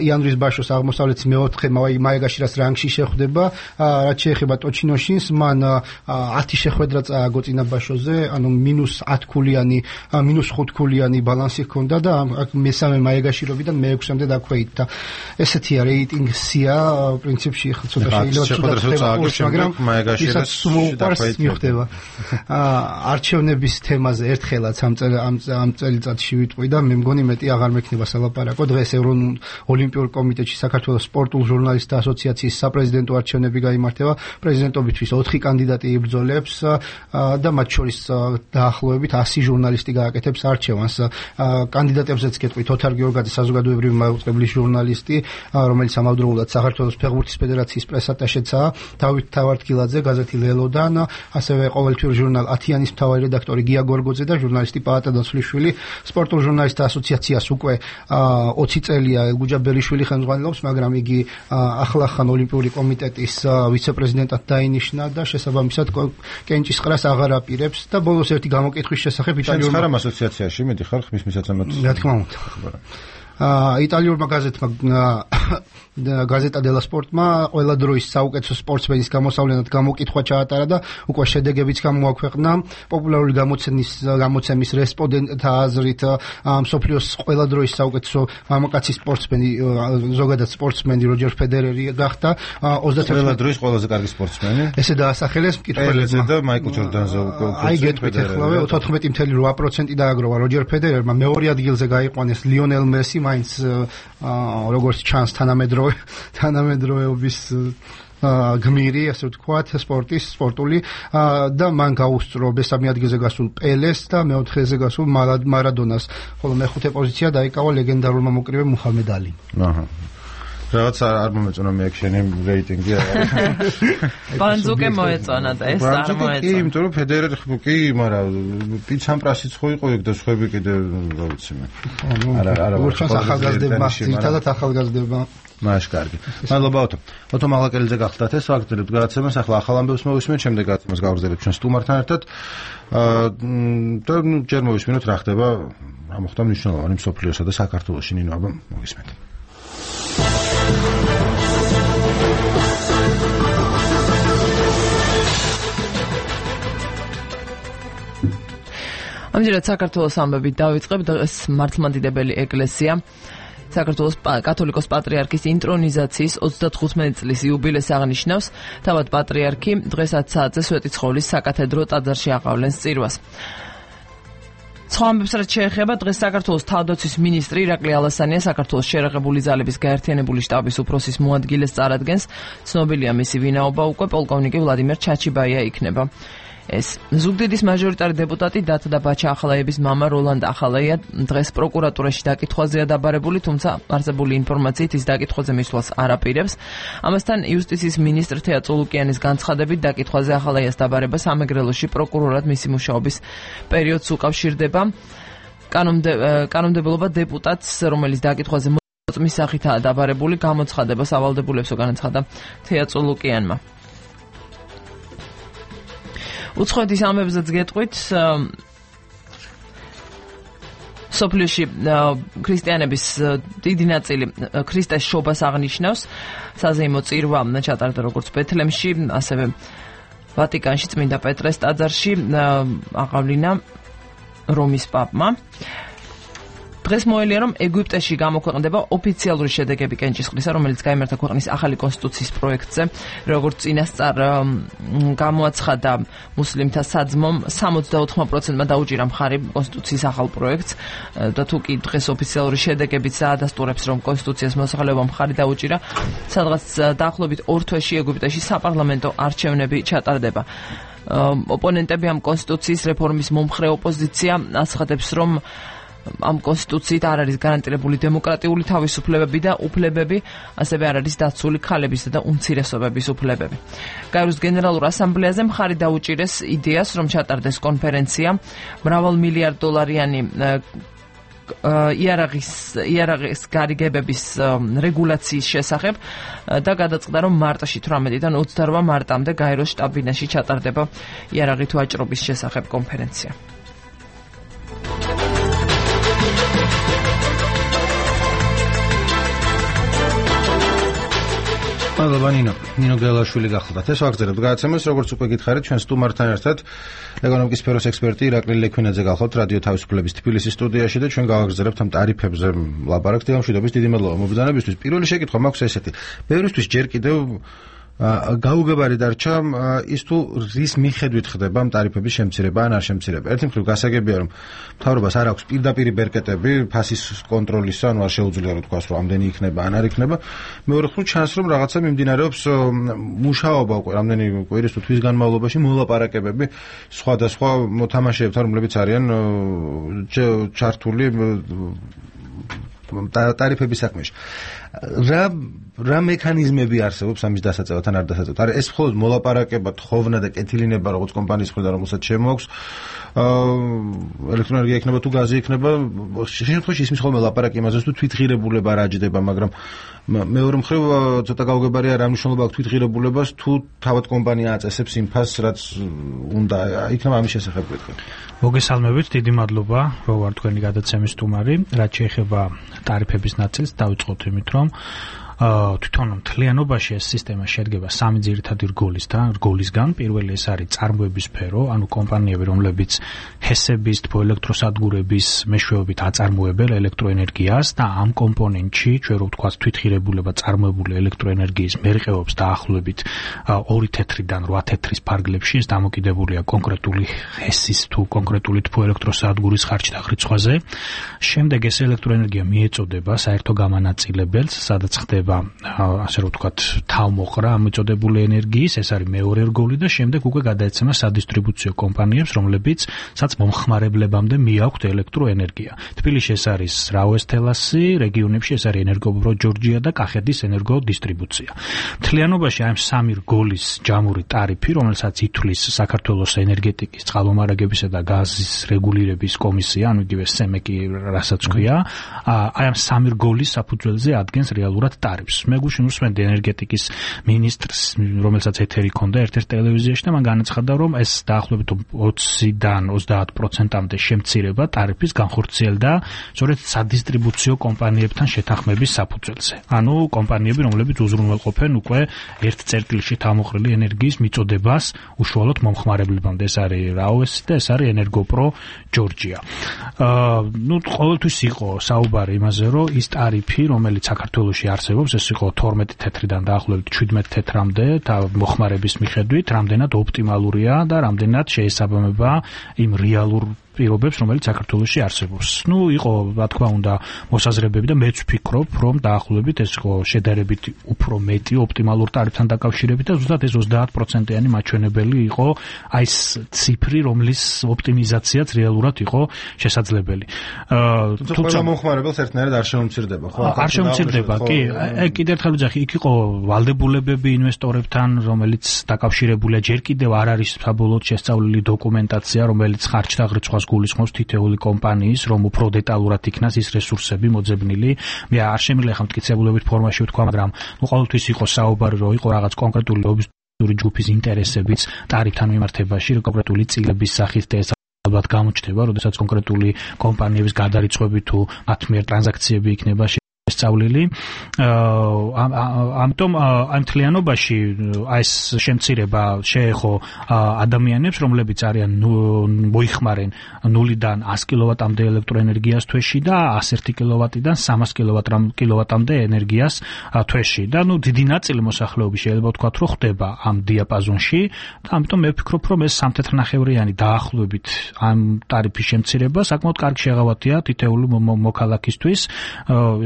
იანვრის ბაშოს აღმოსავლეთის მეოთხე მაეგაშირას რანგში შეხვდება. რაც შეეხება ტოჩინოშინს, მან 10 შეხვედრა წააგო წინა ბაშოზე, ანუ -10 ქულიანი, -5 ქულიანი ბალანსი ჰქონდა და მესამე მაეგაშირობიდან მე-6-მდე დაქვეითდა. ესეთია რეიტინგი სია, პრინციპში ხა ცოტა შეიძლება მაგრამ მაეგაშირას მიხვდება. არჩევნების თემაზე ერთხელაც ამ წელიწადში ვიტყვი და მე მგონი მეტი აღარ მექნება სალაპარაკო. დღეს ოლიმპიურ კომიტეტში საქართველოს სპორტულ ჟურნალისტთა ასოციაციის საპრეზიდენტო არჩევნები გაიმართება. პრეზიდენტობისთვის 4 კანდიდატი იბრძოლებს და მათ შორის დაახლოებით 100 ჟურნალისტი გააკეთებს არჩევანს. კანდიდატებზეც გეტყვით ოთარ გიორგაძე, საზოგადოებრივი მაუწყებლის ჟურნალისტი, რომელიც ამავდროულად საქართველოს ფეხბურთის ფედერაციის პრესატაშეცაა, დავით თავართკილაძე, გაზეთი ლელოდან, ასევე ყოველთვიურ ჟურნალ ათიანის მთავარი რედაქტორი გია გორგოძე და ჟურნალისტი პაატა დაცვლიშვილი. სპორტულ ჟურნალისტთა ასოციაციას უკვე 20 წელია ელგუჯა ბერიშვილი ხელმძღვანელობს, მაგრამ იგი ახლახან ოლიმპიური კომიტეტის ვიცე-პრეზიდენტად დაინიშნა და შესაბამისად კენჭისყრას აღარ აპირებს და ბოლოს ერთი გამოკითხვის შესახებ იტალიურ ასოციაციაში მედიხარ ხმის მისაცემად. რა თქმა უნდა. იტალიურმა გაზეტა დელა სპორტმა ყველა დროის საუკეთესო სპორტსმენის გამოსავლენად გამოკითხვა ჩაატარა და უკვე შედეგებიც გამოაქვეყნა. პოპულარული გამოცემის რესპონდენტთა აზრით მსოფლიოს ყველა დროის საუკეთესო მამაკაცი სპორტსმენი ზოგადად სპორტსმენი როჯერ ფედერერი გახდა. 31 ყველა დროის ყველაზე კარგი სპორტსმენი. ესე დაასახელეს მკითხველებმა და მაიკლ ჯორდანზე აი გეტყვით ახლავე 14.8% დააგროვა როჯერ ფედერერმა, მეორე ადგილზე გაიყვანეს ლიონელ მესი, მაინც როგორც ჩანს თანამედროვეობის გმირი, ასე ვთქვათ, სპორტული და მან გაუსწრო მესამე ადგილზე გასულ პელეს და მეოთხეზე გასულ მარადონას, ხოლო მეხუთე პოზიცია დაიკავა ლეგენდარულმა მოკრივე მუჰამედ ალი. რაღაც არ მომეწონა მე ექშენი რეიტინგი არა. ბანძუკე მოეწონა და ეს არ მოეწონა. კი, იმიტომ რომ ფედერერი კი, მაგრამ პიცამპრასიც ხო იყო ეგ და სხვები კიდე რა ვიცი მე. არა. უცხოს ახალგაზრდებმა, თითქოს ახალგაზრდებმა. მაშ კარგი. მადლობა ოტო. ოტო მაღლაკელიძე გახლდათ ეს ვაგრძელებთ გადაცემას, ახლა ახალ ამბებს მოვისმენთ, შემდეგ გადაცემას გავაგრძელებთ ჩვენ სტუმართან ერთად. და ჯერ მოვისმენთ რა ხდება, რა მოხდა მნიშვნელოვანი მსოფლიოსა და საქართველოში ნინო აბა მოვისმენთ. ამჯერად საქართველოს ამბებით დავიწყებ. დღეს მართლმადიდებელი ეკლესია საქართველოს კათოლიკოს პატრიარქის ინტრონიზაციის 35 წლის იუბილეს აღნიშნავს. თავად პატრიარქი დღესაც საათზე სვეტიცხოვლის საკათედრო ტაძარში აყავლენს წირვას. სხვა ამბებს რაც შეეხება, დღეს საქართველოს თავდაცვის მინისტრი ირაკლი ალასანია საქართველოს შერეღებული ძალების გაერთიანებული შტაბის უფროსის მოადგილეს წარადგენს. ცნობილია მისი ვინაობა, უკვე პოლკოვნიკი ვლადიმერ ჩაჩიბაია იქნება. ეს ზუგდიდის მაჟორიტარი დეპუტატი დათა ბაჩა ახალაიების მამა როლანდ ახალაია დღეს პროკურატურაში დაკითხვაზეა დაბარებული, თუმცა არსებული ინფორმაციით ის დაკითხვაზე მისვლას არ აპირებს. ამასთან იუსტიციის მინისტრ თეა წულუკიანის განცხადებით დაკითხვაზე ახალაიას დაბარება სამეგრელოში პროკურორად მისი მუშაობის პერიოდს უკავშირდება. კანონმდებლობა დეპუტატს, რომელიც დაკითხვაზე მოწმის სახითაა დაბარებული, გამოცხადებას ავალდებულებსო განაცხადა თეა წულუკიანმა. უცხოეთის ამბებზეც გეტყვით, სოფლიოში ქრისტიანების დიდი ნაწილი ქრისტეს შობას აღნიშნავს. საზეიმო წირვა ჩატარდა როგორც ბეთლემში, ასევე ვატიკანში წმინდა პეტრეს ტაძარში აყავლინა რომის პაპმა. დღეს მოელია, რომ ეგვიპტეში გამოქვეყნდება ოფიციალური შედეგები კენჭისყრისა, რომელიც გაიმართა ქვეყნის ახალი კონსტიტუციის პროექტზე. როგორც წინასწარ გამოაცხადა მუსლიმთა საძმომ, 74%-მა დაუჭირა მხარი კონსტიტუციის ახალ პროექტს და თუ კი დღეს ოფიციალური შედეგებიც დაადასტურებს, რომ კონსტიტუციას მოსახლეობა მხარი დაუჭირა, სადღაც დაახლოებით 2 თვეში ეგვიპტეში საპარლამენტო არჩევნები ჩატარდება. ოპონენტები ამ კონსტიტუციის რეფორმის მომხრე ოპოზიცია აცხადებს, რომ ამ კონსტიტუციით არ არის გარანტირებული დემოკრატიული თავისუფლებები და უფლებები, ასევე არ არის დაცული ქალებისა და უმცირესობების უფლებები. გაეროს გენერალურ ასამბლეაზე მხარი დაუჭირეს იდეას, რომ ჩატარდეს კონფერენცია $1,000,000,000-იანი იარაღის გარიგებების რეგულაციის შესახებ და გადაწყდა, რომ მარტში 18-დან 28 მარტამდე გაეროს შტაბ-ბინაში ჩატარდება იარაღით ვაჭრობის შესახებ კონფერენცია. მადლობა ნინო გელაშვილი გახლდათ. ეს ვაგრძელებთ გადაცემას, როგორც უკვე გითხარით, ჩვენ სტუმართან ერთად ეკონომიკის სფეროს ექსპერტი ირაკლი ლექვინაძე გახლავთ რადიო თავისუფლების თბილისის სტუდიაში და ჩვენ გავაგრძელებთ ამ ტარიფებზე ლაპარაკს. მშვიდობის დიდი მადლობა მობრძანებისთვის. პირველი შეკითხვა მაქვს ესეთი. ბევრისთვის ჯერ კიდევ გაუგებარი დარჩა ის თუ რის მიხედვით ხდება ამ ტარიფების შემცირება ან არ შემცირება. ერთი მხრივ გასაგებია, რომ მთავრობას არ აქვს პირდაპირი ბერკეტები ფასის კონტროლის, ანუ არ შეუძლია რომ თქვას, რომ ამდენი იქნება ან არ იქნება. მეორე მხრივ ჩანს, რომ რაღაცა მიმდინარეობს მუშაობა უკვე რამდენი კვირის თუ თვის განმავლობაში მოლაპარაკებები სხვადასხვა მოთამაშეებთან, რომლებიც არიან ჩართული ტარიფების საქმეში. რა მექანიზმები არსებობს ამის დასაწევად ან არ დასაწევად? არა, ეს მხოლოდ მოლაპარაკება, თხოვნა და კეთილინება, როგორც კომპანიის მხრიდან, რომელსაც შემოაქვს ელექტროენერგია იქნება თუ გაზი იქნება, შემთხვევაში ისმის ხოლმე ლაპარაკი იმაზე, თუ თვითღირებულება რა ჯდება, მაგრამ მეორე მხრივ ცოტა გაუგებარია რა მნიშვნელობა აქვს თვითღირებულებას, თუ თავად კომპანია აწესებს იმ ფასს, რაც უნდა იქნება ამის შესახებ გეტყვი. მოგესალმებით, დიდი მადლობა, რომ ვარ თქვენი გადაცემის სტუმარი. რაც შეეხება ტარიფების ნაწილს, დავიწყოთ იმით, რომ თვითონ მთლიანობაში ეს სისტემა შედგება სამი ძირითადი რგოლისგან. პირველი ეს არის წარმოების სფერო, ანუ კომპანიები, რომლებიც ჰესების, თბოელექტროსადგურების მეშვეობით აწარმოებენ ელექტროენერგიას და ამ კომპონენტში, ჩვენ რო ვთქვათ, თვითღირებულება წარმოებული ელექტროენერგიის მერყეობს დაახლოებით 2 თეთრიდან 8 თეთრის ფარგლებში. ეს დამოკიდებულია კონკრეტული ჰესის თუ კონკრეტული თბოელექტროსადგურის ხარჯ-დაღრიცხვაზე. შემდეგ ეს ელექტროენერგია მიეწოდება საერთო გამანაწილებელს, სადაც ხდება ასე რომ ვთქვათ, თავმოყრა ამოწოდებული ენერგიის, ეს არის მეორე რგოლი და შემდეგ უკვე გადაეცემა სადისტრიბუციო კომპანიებს, რომლებიცაც მომხმარებლებამდე მიაქვთ ელექტროენერგია. თბილისში ეს არის რაოესთელასი, რეგიონებში ეს არის ენერგოპრო ჯორჯია და კახეთის ენერგოდისტრიბუცია. მთლიანობაში ამ სამი რგოლის ჯამური ტარიფი, რომელსაც ითვლის საქართველოს ენერგეტიკის, წყალმომარაგებისა და გაზის რეგულირების კომისია, ანუ იგივე სემეკი, რასაც ქვია, აი ამ სამი რგოლის საფუძველზე ადგენს რეალურად მე გუშინ უსმენდი ენერგეტიკის მინისტრს, რომელსაც ეთერი ჰქონდა ერთ-ერთ ტელევიზიაში და მან განაცხადა, რომ ეს დაახლოებით 20-დან 30%-მდე შემცირება ტარიფის განხორციელდა სწორედ სადისტრიბუციო კომპანიებთან შეთანხმების საფუძველზე. ანუ კომპანიები, რომლებიც უზრუნველყოფენ უკვე ერთ წერტილში თავმოყრილი ენერგიის მიწოდებას უშუალოდ მომხმარებლებამდე. ეს არის რაოესი და ეს არის ენერგოპრო ჯორჯია. ყოველთვის იყო საუბარი იმაზე, რომ ის ტარიფი, რომელიც საქართველოში არსებობს, ეს იყო 12 თეთრიდან დაახლოებით 17 თეთრამდე და მოხმარების მიხედვით რამდენად ოპტიმალურია და რამდენად შეესაბამება იმ რეალურ პირობებს, რომელიც საქართველოში არსებობს. იყო, რა თქმა უნდა, მოსაზრებები და მეც ვფიქრობ, რომ დაახლოებით ეს იყო შედარებით უფრო მეტი ოპტიმალურ ტარიფთან დაკავშირებით და ზუსტად ეს 30%-იანი მაჩვენებელი იყო აი ეს ციფრი, რომლის ოპტიმიზაციაც რეალურად იყო შესაძლებელი. თუმცა მომხმარებელს ერთნაირად არ შემომცირდება, ხო? არ შემომცირდება, კი. კიდევ ერთხელ ვიძახი, იქ იყო ვალდებულებები ინვესტორებთან, რომელიც დაკავშირებულია, ჯერ კიდევ არ არის საბოლოოდ შესწავლილი დოკუმენტაცია, რომელიც ხარჯ-დაღრიცხვას გულისხმობს თითოეული კომპანიის, რომ უფრო დეტალურად იქნას ის რესურსები მოძებნილი. მე არ შემიძლია ხა მტკიცებულებით ფორმაში ვთქვა, მაგრამ ყოველთვის იყო საუბარი, რომ იყო რაღაც კონკრეტული ლობისტური ჯგუფის ინტერესებიც ტარიფთან მიმართებაში, კონკრეტული წილების სახით და ეს ალბათ გამოჩნდება, როდესაც კონკრეტული კომპანიების გადარიცხვები თუ მათ მიერ ტრანზაქციები იქნება სწავლილი. ამიტომ ამ მთლიანობაში ეს შემცირება შეეხო ადამიანებს, რომლებიც არიან მოიხმარენ 0-დან 100 კილოვატამდე ელექტროენერგიას თვეში და 101 კილოვატიდან 300 კილოვატამდე ენერგიას თვეში. და დიდი ნაწილი მოსახლეობის შეიძლება ვთქვათ, რომ ხდება ამ დიაპაზონში და ამიტომ მე ვფიქრობ, რომ ეს 3 თეთრნახევრიანი დაახლოებით ამ ტარიფის შემცირება საკმაოდ კარგი შეღავათია თითოეული მოქალაქისთვის,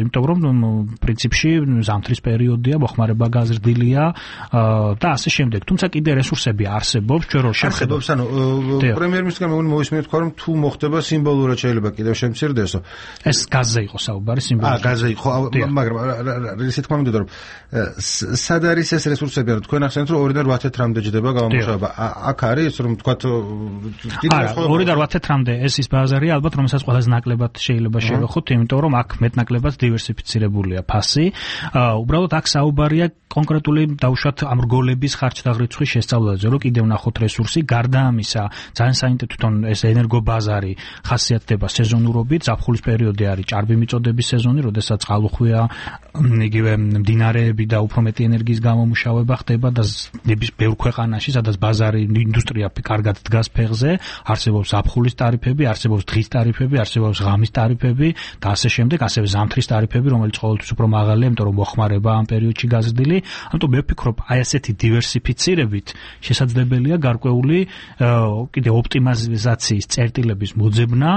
იმიტომ რომ პრინციპში ზამთრის პერიოდია, მოხმარება გაზრდილია და ასე შემდეგ. თუმცა კიდე რესურსები არსებობს, ჩვენ რო შეხედავს, ანუ პრემიერ-მინისტრმა მოვისმენთ თქვა, რომ თუ მოხდება სიმბოლურად შეიძლება კიდევ შემცირდესო. ეს გაზზე იყო საუბარი, სიმბოლურად. გაზზე იყო, მაგრამ ისე თქვა მინდოდა, რომ სად არის ეს რესურსები, ანუ თქვენ ახსენეთ, რომ 2-დან 8 თეთრამდე ჯდება გამომუშავება. აქ არის, რომ თქვათ, 2-დან 8 თეთრამდე ეს ის ბაზარი ალბათ, რომელსაც ყველაზე ნაკლებად შეიძლება შევეხოთ, იმიტომ რომ აქ მეტნაკლებად დივერსიფიცირებულია ფასი. უბრალოდ აქ საუბარია კონკრეტული დაუშვათ ამ რგოლების ხარჯ-დაღრიცხვის შესწავლაზე, რომ კიდევ ნახოთ რესურსი. გარდა ამისა, ძალიან საინტერესო თვითონ ეს ენერგობაზარი ხასიათდება სეზონურობით. ზაფხულის პერიოდი არის ჭარბი მიწოდების სეზონი, როდესაც წყალუხვია, იგივე მდინარეები და უფრო მეტი ენერგიის გამომუშავება ხდება და ბევრ ქვეყანაში, სადაც ბაზარი ინდუსტრია კარგად დგას ფეხზე, არსებობს ზაფხულის ტარიფები, არსებობს დღის ტარიფები, არსებობს ღამის ტარიფები და ასე შემდეგ, ასევე ზამთრის ტარიფები, რომელიც ყოველთვის უფრო მაღალია, იმიტომ რომ მოხმარება ამ პერიოდში გაზრდილი. ამიტომ მე ვფიქრობ, აი ასეთი დივერსიფიცირებით შესაძლებელია გარკვეული კიდე ოპტიმიზაციის წერტილების მოძებნა,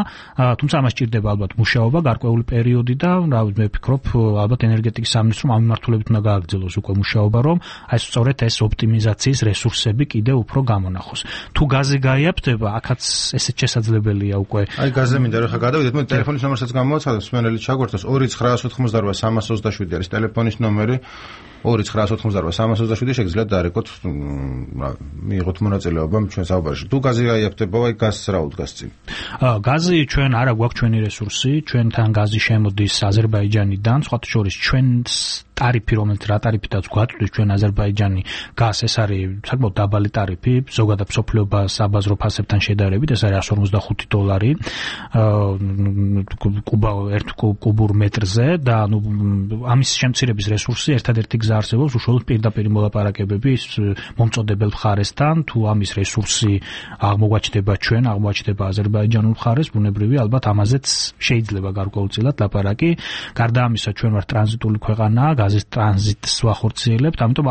თუმცა ამას სჭირდება ალბათ მუშაობა გარკვეული პერიოდი და მე ვფიქრობ, ალბათ ენერგეტიკის სამინისტრომ ამ მიმართულებით უნდა გააგრძელოს უკვე მუშაობა, რომ აი სწორედ ეს ოპტიმიზაციის რესურსები კიდე უფრო გამონახოს. თუ გაზი გაიაფთება, აქაც ესეც შესაძლებელია უკვე. აი გაზზე მინდა რომ ხა გადავიდეთ, მე ტელეფონის ნომერსაც გამოვაცხადოთ, მსმენელი ჩაგვერთოს 2988 327 არის ტელეფონის ნომერი. 2988327 შეგიძლიათ დარეკოთ, მიიღოთ მონაწილეობა ჩვენ საუბარში. თუ გაზი გაიაფთება, აი გაზს რა უდგას წინ? გაზი ჩვენ არა გვაქვს ჩვენი რესურსი, ჩვენთან გაზი შემოდის აზერბაიჯანიდან, სხვათა შორის ჩვენს ტარიფი, რომელიც რა ტარიფითაც გვაწვდის ჩვენ აზერბაიჯანი გაზ, ეს არის საკმაოდ დაბალი ტარიფი, ზოგადად მსოფლიო საბაზრო ფასებთან შედარებით, ეს არის $145 ერთ კუბურ მეტრზე და ამის შემცირების რესურსი ერთადერთი გზა არსებობს უშუალოდ პირდაპირ მოლაპარაკებები მომწოდებელ მხარესთან, თუ ამის რესურსი აღმოგვაჩნდება ჩვენ, აღმოაჩნდება აზერბაიჯანულ მხარეს, ბუნებრივია ალბათ ამაზეც შეიძლება გარკვეულწილად ლაპარაკი. გარდა ამისა ჩვენ ვართ ტრანზიტული ქვეყანა, გაზის ტრანზიტს ვახორციელებთ, ამიტომ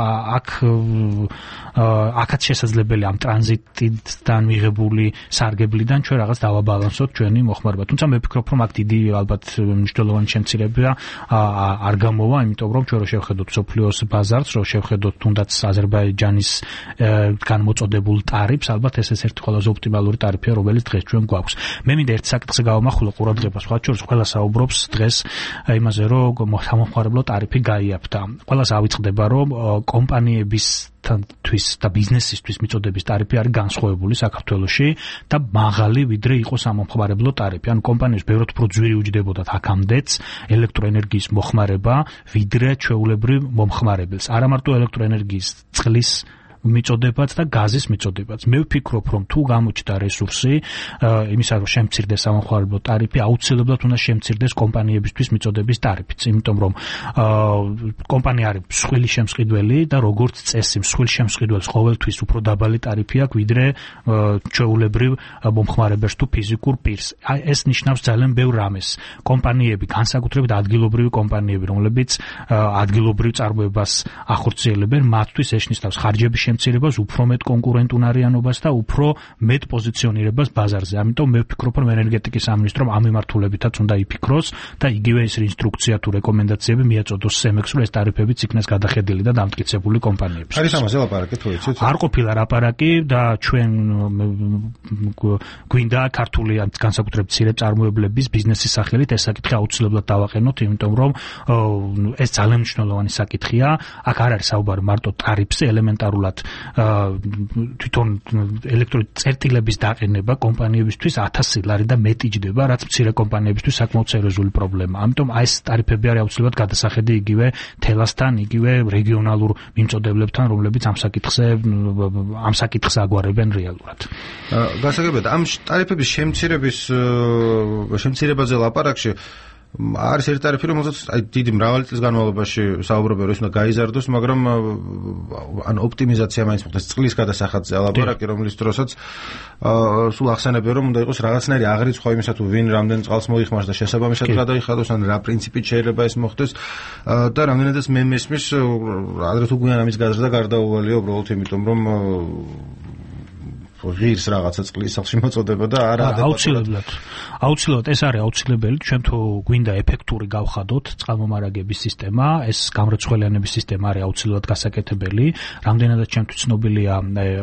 აქაც შესაძლებელია ამ ტრანზიტიდან მიღებული სარგებლიდან ჩვენ რაღაც დავაბალანსოთ ჩვენი მოხმარება. თუმცა მე ვფიქრობ, რომ აქ დიდი ალბათ მნიშვნელოვანი შემცირება არ გამოვა, იმიტომ რომ ჩვენ რო შევხედოთ მსოფლიოს ბაზარს, რო შევხედოთ თუნდაც აზერბაიჯანის განმოწოდებულ ტარიფს, ალბათ ეს ერთ ყველაზე ოპტიმალური ტარიფია, რომელიც დღეს ჩვენ გვაქვს. მე მინდა ერთ საკითხზე გავამახვილო ყურადღებას, სხვა შორის ყველა საუბრობს დღეს იმაზე, რომ სამომხმარებლო ტარიფი გაიაფთა. ყველას ავიწყდება, რომ კომპანიებისთვის და ბიზნესისთვის მიწოდების ტარიფი არის განსხვავებული საქართველოში და მაღალი ვიდრე იყო სამომხმარებლო ტარიფი. ანუ კომპანიებს ბევრად უფრო ძვირი უჯდებოდათ აქამდეც ელექტროენერგიის მოხმარება ვიდრე ჩვეულებრივ მომხმარებელს. არა მარტო ელექტროენერგიის, წყლის მიწოდებაც და გაზის მიწოდებაც. მე ვფიქრობ, რომ თუ გამოჩნდა რესურსი იმისა, რომ შემცირდეს სამომხმარებლო ტარიფი, აუცილებლად უნდა შემცირდეს კომპანიებისთვის მიწოდების ტარიფიც, იმიტომ რომ კომპანია არის მსხვილი შემსყიდველი და როგორც წესი მსხვილ შემსყიდველს ყოველთვის უფრო დაბალი ტარიფი აქვს ვიდრე ჩვეულებრივ მომხმარებელს თუ ფიზიკურ პირს. ეს ნიშნავს ძალიან ბევრ რამეს. კომპანიები, განსაკუთრებით ადგილობრივი კომპანიები, რომლებიც ადგილობრივ წარმოებას ახორციელებენ, მათთვის ეს ნიშნავს ხარჯების შემცირებას, უფრო მეტ კონკურენტუნარიანობას და უფრო მეტ პოზიციონირებას ბაზარზე. ამიტომ მე ვფიქრობ, რომ ენერგეტიკის სამინისტრომ ამ მიმართულებითაც უნდა იფიქროს და იგივე ეს ინსტრუქცია თუ რეკომენდაციები მიაწოდოს სემექს, რომ ეს ტარიფებიც იქნეს გადახედილი და დამტკიცებული კომპანიებისთვის. არის ამაზე ლაპარაკი თუ იცით? არ ყოფილა ლაპარაკი და ჩვენ გვინდა ქართული განსაკუთრებით მცირე წარმოებლების ბიზნესის სახელით ეს საკითხი აუცილებლად დავაყენოთ, იმიტომ რომ ეს ძალიან მნიშვნელოვანი საკითხია. აქ არ არის საუბარი მარტო ტარიფზე, ელემენტარულად თვითონ ელექტროწერტილების დაყენება კომპანიებისთვის 1000 ლარი და მეტი ჯდება, რაც მცირე კომპანიებისთვის საკმაოდ სერიოზული პრობლემაა. ამიტომ ეს ტარიფები არის აუცილებლად გადასახედი იგივე თელასთან, იგივე რეგიონალურ მიმწოდებლებთან, რომლებიც ამ საკითხს აგვარებენ რეალურად. გასაგებია, ამ ტარიფების შემცირებაზე ლაპარაკში არის ერთ ტარიფი, რომელსაც დიდი მრავალი წლის განმავლობაში საუბრობენ, რომ ის უნდა გაიზარდოს, მაგრამ ან ოპტიმიზაცია მაინც მოხდეს. წყლის გადასახადზე ლაპარაკი, რომლის დროსაც სულ ახსენებენ, რომ უნდა იყოს რაღაცნაირი აღრიცხვა იმისა, თუ ვინ რამდენ წყალს მოიხმარს და შესაბამისად გადაიხადოს, ან რა პრინციპით შეიძლება ეს მოხდეს და რამდენადაც მე მესმის, ადრე თუ გვიან ამის გაზრდა გარდაუვალია უბრალოდ იმიტომ, რომ ღირს რაღაცა წყლის სახში მოწოდება და არა აუცილებლად ეს არის აუცილებელი. ჩვენ თუ გვინდა ეფექტური გავხადოთ წყალმომარაგების სისტემა, ეს გამრეცხველიანების სისტემა არის აუცილებლად გასაკეთებელი. რამდენადაც ჩემთვის ცნობილია,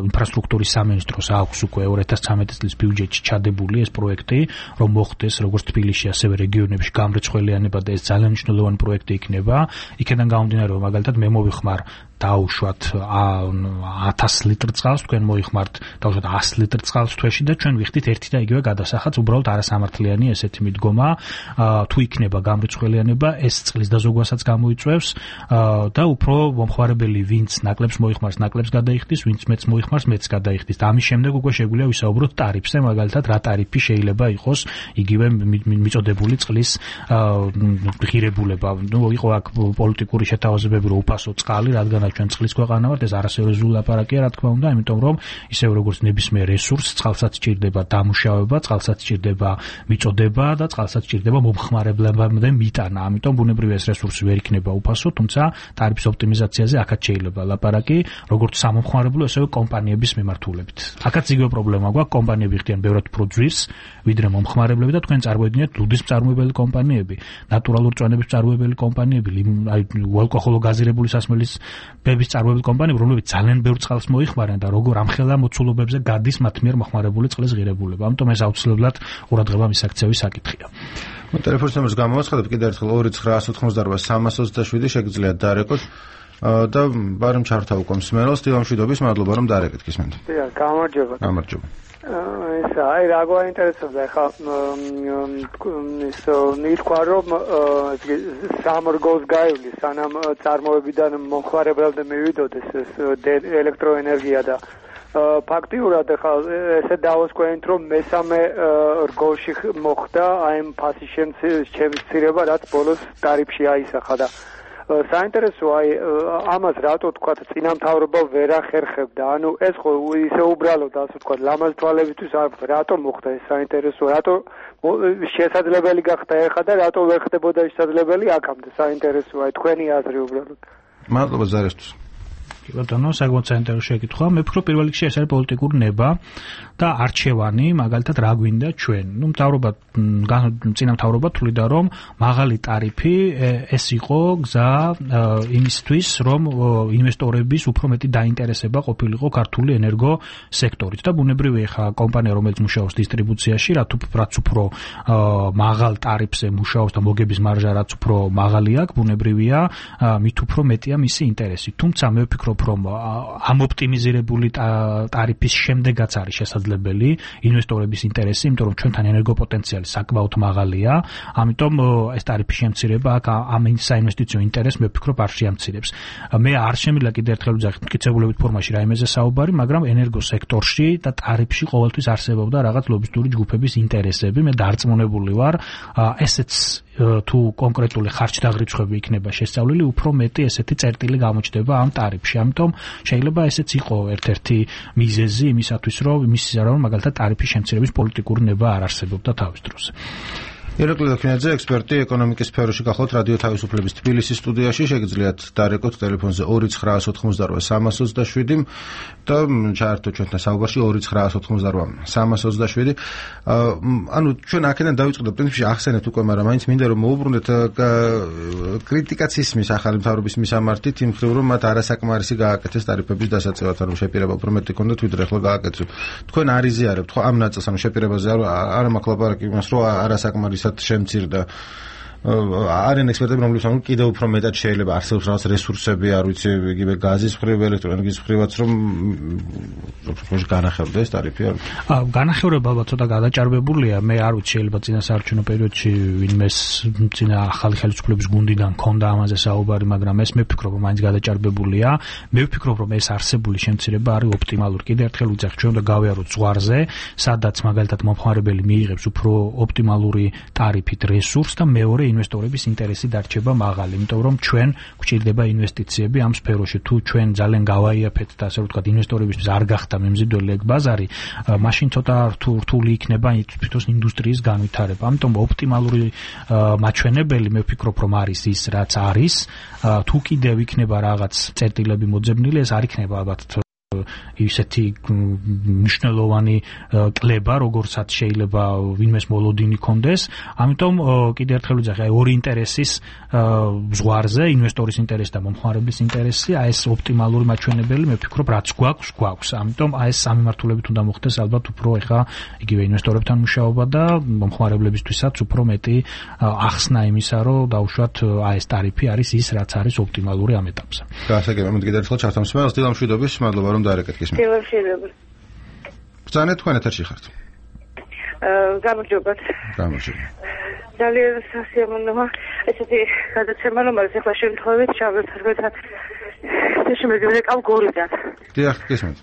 ინფრასტრუქტურის სამინისტროს აქვს უკვე 2013 წლის ბიუჯეტში ჩადებული ეს პროექტი, რომ მოხდეს როგორც თბილისში, ასევე რეგიონებში გამრეცხველიანება და ეს ძალიან მნიშვნელოვანი პროექტი იქნება. იქიდან გამომდინარე, რომ მაგალითად მე მოვიხმარ დაუშვათ 1000 ლიტრ წყალს, თქვენ მოიხმართ დაუშვათ 100 ლიტრ წყალს თვეში და ჩვენ ვიხდით ერთი და იგივე გადასახადს, უბრალოდ არასამართლიანი ესეთი მიდგომა. თუ იქნება გამრეცხველიანება, ეს წყლის დაზოგვასაც გამოიწვევს და უფრო მომხმარებელი ვინც ნაკლებს მოიხმარს, ნაკლებს გადაიხდის, ვინც მეც მოიხმარს, მეც გადაიხდის. და ამის შემდეგ უკვე შეგვიძლია ვისაუბროთ ტარიფზე, მაგალითად რა ტარიფი შეიძლება იყოს იგივე მიწოდებული წყლის ღირებულება. იყო აქ პოლიტიკური შეთავაზებები, რომ უფასო წყალი, რადგან ჩვენ წყლის ქვეყანა ვართ, ეს არასერიოზული ლაპარაკია, რა თქმა უნდა, იმიტომ რომ ისევ როგორც ნებისმიერ რესურსს, წყალსაც სჭირდება დამუშავება, წყალსაც სჭირდება მიწოდება და წყალსაც სჭირდება მომხმარებლებამდე მიტანა. ამიტომ ბუნებრივია ეს რესურსი ვერ იქნება უფასო, თუმცა ტარიფის ოპტიმიზაციაზე აქაც შეიძლება ლაპარაკი, როგორც სამომხმარებლო, ასევე კომპანიების მიმართულებით. აქაც იგივე პრობლემა გვაქვს, კომპანიები ხდიან ბევრად უფრო ძვირს, ვიდრე მომხმარებლები და თქვენ წარმოიდგინეთ ლუდის მწარმოებელი კომპანიები, ნატურალურ წვენების მწარმოებელი კომპანიები, ალკოჰოლო გაზირებული სასმელის ბების მწარმოებელი კომპანიები, რომლებიც ძალიან ბევრ წყალს მოიხმარენ და როგორ ამხელა მოცულობებზე გადის მათ მიერ მოხმარებული წყლის ღირებულება. ამიტომ ეს აუცილებლად ყურადღება მისაქცევი საკითხია. ტელეფონის ნომერს გამოვაცხადებ კიდევ ერთხელ 2988327 შეგიძლიათ დარეკოთ. და ბარემ ჩართა უკვე მსმენელს თივამშვიდობის მადლობა რომ დაარეკეთ გისმენთ. დიახ, გამარჯობა. გამარჯობა. აი რა გვაინტერესებდა ხა ის ნითქვა რომ სამრგოს გაივლის სანამ წარმოებიდან მომხმარებლამდე მივიდოდეს ეს ელექტროენერგია და ფაქტიურად ხა ესე დავასკვენთ რომ მესამე რგოლში მოხდა აი ამ ფასის შემცირება რაც ბოლოს ტარიფში აისახა და საინტერესოა აი ამას რატო თქვა წინამთავრობა ვერ ახერხებდა ანუ ეს ხო ისე უბრალოდ ასე თქვა ლამაზ თვალებისთვის რატო მოხდა ეს საინტერესოა რატო შესაძლებელი გახდა ეხა და რატო ვერ ხდებოდა შესაძლებელი აქამდე საინტერესოა აი თქვენი აზრი უბრალოდ მადლობა ზარისთვის ბატონო, საკმაოდ საინტერესო შეკითხვა. მე ვფიქრობ პირველ რიგში ეს არის პოლიტიკური ნება და არჩევანი, მაგალითად რა გვინდა ჩვენ. ნუ მთავრობა წინამთავრობა თვლიდა რომ მაღალი ტარიფი ეს იყო გზა იმისთვის, რომ ინვესტორების უფრო მეტი დაინტერესება ყოფილიყო ქართული ენერგო სექტორით და ბუნებრივია ხა კომპანია რომელიც მუშაობს დისტრიბუციაში, რაც უფრო მაღალ ტარიფზე მუშაობს და მოგების მარჟა რაც უფრო მაღალი აქვს, ბუნებრივია მით უფრო მეტია მისი ინტერესი. თუმცა მე ვფიქრობ რომ ამ ოპტიმიზირებული ტარიფის შემდეგაც არის შესაძლებელი ინვესტორების ინტერესი, იმიტომ რომ ჩვენთან ენერგოპოტენციალი საკმაოდ მაღალია, ამიტომ ეს ტარიფის შემცირება აქ ამ საინვესტიციო ინტერესს მე ვფიქრობ არ შეამცირებს. მე არ შემიძლია კიდევ ერთხელ ვძახით მტკიცებულებით ფორმაში რაიმეზე საუბარი, მაგრამ ენერგოსექტორში და ტარიფში ყოველთვის არსებობდა რაღაც ლობისტური ჯგუფების ინტერესები. მე დარწმუნებული ვარ, ესეც თუ კონკრეტული ხარჯდაღრიცხვები იქნება შესწავლილი, უფრო მეტი ესეთი წერტილი გამოჩნდება ამ ტარიფში. ამიტომ შეიძლება ესეც იყო ერთ-ერთი მიზეზი იმისათვის, რომ მაგალითად ტარიფის შემცირების პოლიტიკური ნება არ არსებობდა თავის დროს. ირაკლი დოქინაძე, ექსპერტი ეკონომიკის სფეროში გახლავთ რადიო თავისუფლების თბილისის სტუდიაში, შეგიძლიათ დარეკოთ ტელეფონზე 2988327 და ჩაერთო ჩვენთან საუბარში 2988327. ანუ ჩვენ აქედან დავიწყდით პრინციპში ახსენეთ უკვე, მაგრამ მაინც მინდა რომ მოუბრუნდეთ კრიტიკაც ისმის ახალი მთავრობის მისამართით იმ მხრივ რომ მათ არასაკმარისი გააკეთეს ტარიფების დასაწევად, ანუ შეპირება უფრო მეტი ქონდათ ვიდრე ახლა გააკეთეს. თქვენ არ იზიარებთ ხო ამ ნაწილს, ანუ შეპირებაზე არ მაქვს ლაპარაკი იმას რომ არასაკმარისად შემცირდა არიან ექსპერტები რომლებიც ამბობენ კიდევ უფრო მეტად შეიძლება არსებობს რაღაც რესურსები არ ვიცი იგივე გაზის მხრივ ელექტროენერგიის მხრივაც რომ განახევდეს ტარიფი არ განახევრება ალბათ ცოტა გადაჭარბებულია მე არ ვიცი შეიძლება წინა საარჩევნო პერიოდში ვინმეს წინა ახალი ხელისუფლების გუნდიდან ქონდა ამაზე საუბარი მაგრამ ეს მე ვფიქრობ რომ მაინც გადაჭარბებულია მე ვფიქრობ რომ ეს არსებული შემცირება არის ოპტიმალური კიდევ ერთხელ ვიძახ ჩვენ უნდა გავიაროთ ზღვარზე სადაც მაგალითად მომხმარებელი მიიღებს უფრო ოპტიმალური ტარიფით რესურსს და მეორე ინვესტორების ინტერესი დარჩება მაღალი, იმიტომ რომ ჩვენ გვჭირდება ინვესტიციები ამ სფეროში. თუ ჩვენ ძალიან გავაიაფეთ და ასე ვთქვათ, ინვესტორებისთვის არ გახდა მემზიდველი ეგ ბაზარი, მაშინ ცოტა რთული იქნება თვითონ ინდუსტრიის განვითარება. ამიტომ ოპტიმალური მაჩვენებელი მე ვფიქრობ, რომ არის ის, რაც არის. თუ კიდევ იქნება რაღაც წერტილები მოძებნილი, ეს არ იქნება ალბათ ისეთი მნიშვნელოვანი კლება, როგორცაც შეიძლება ვინმეს მოლოდინი კონდეს. ამიტომ კიდევ ერთხელ ვიძახი, აი ორი ინტერესის ზღვარზე, ინვესტორის ინტერესი და მომხმარებლის ინტერესი, აი ეს ოპტიმალური მაჩვენებელი, მე ვფიქრობ, რაც გვაქვს. ამიტომ აი ეს სამიმართულებით უნდა მოხდეს ალბათ უფრო ეხა იგივე ინვესტორებთან მუშაობა და მომხმარებლებისთვისაც უფრო მეტი ახსნა იმისა, რომ დაუშვათ აი ეს ტარიფი არის ის, რაც არის ოპტიმალური ამ ეტაპზე. გასაგებია, მე კიდევ ერთხელ ჩართამსმენელს დილა მშვიდობის, მადლობა რომ დაარეკეთ გისმენთ. მადლობა. ბრძანეთ თქვენ ეთერში ხართ. გამარჯობათ. გამარჯობა. ძალიან სასიამოვნოა ესეთი გადაცემა, რომელიც ახლა შემთხვევით ჩავერთვეთ. შეშმედიო კალგორიდან. დიახ, გისმენთ.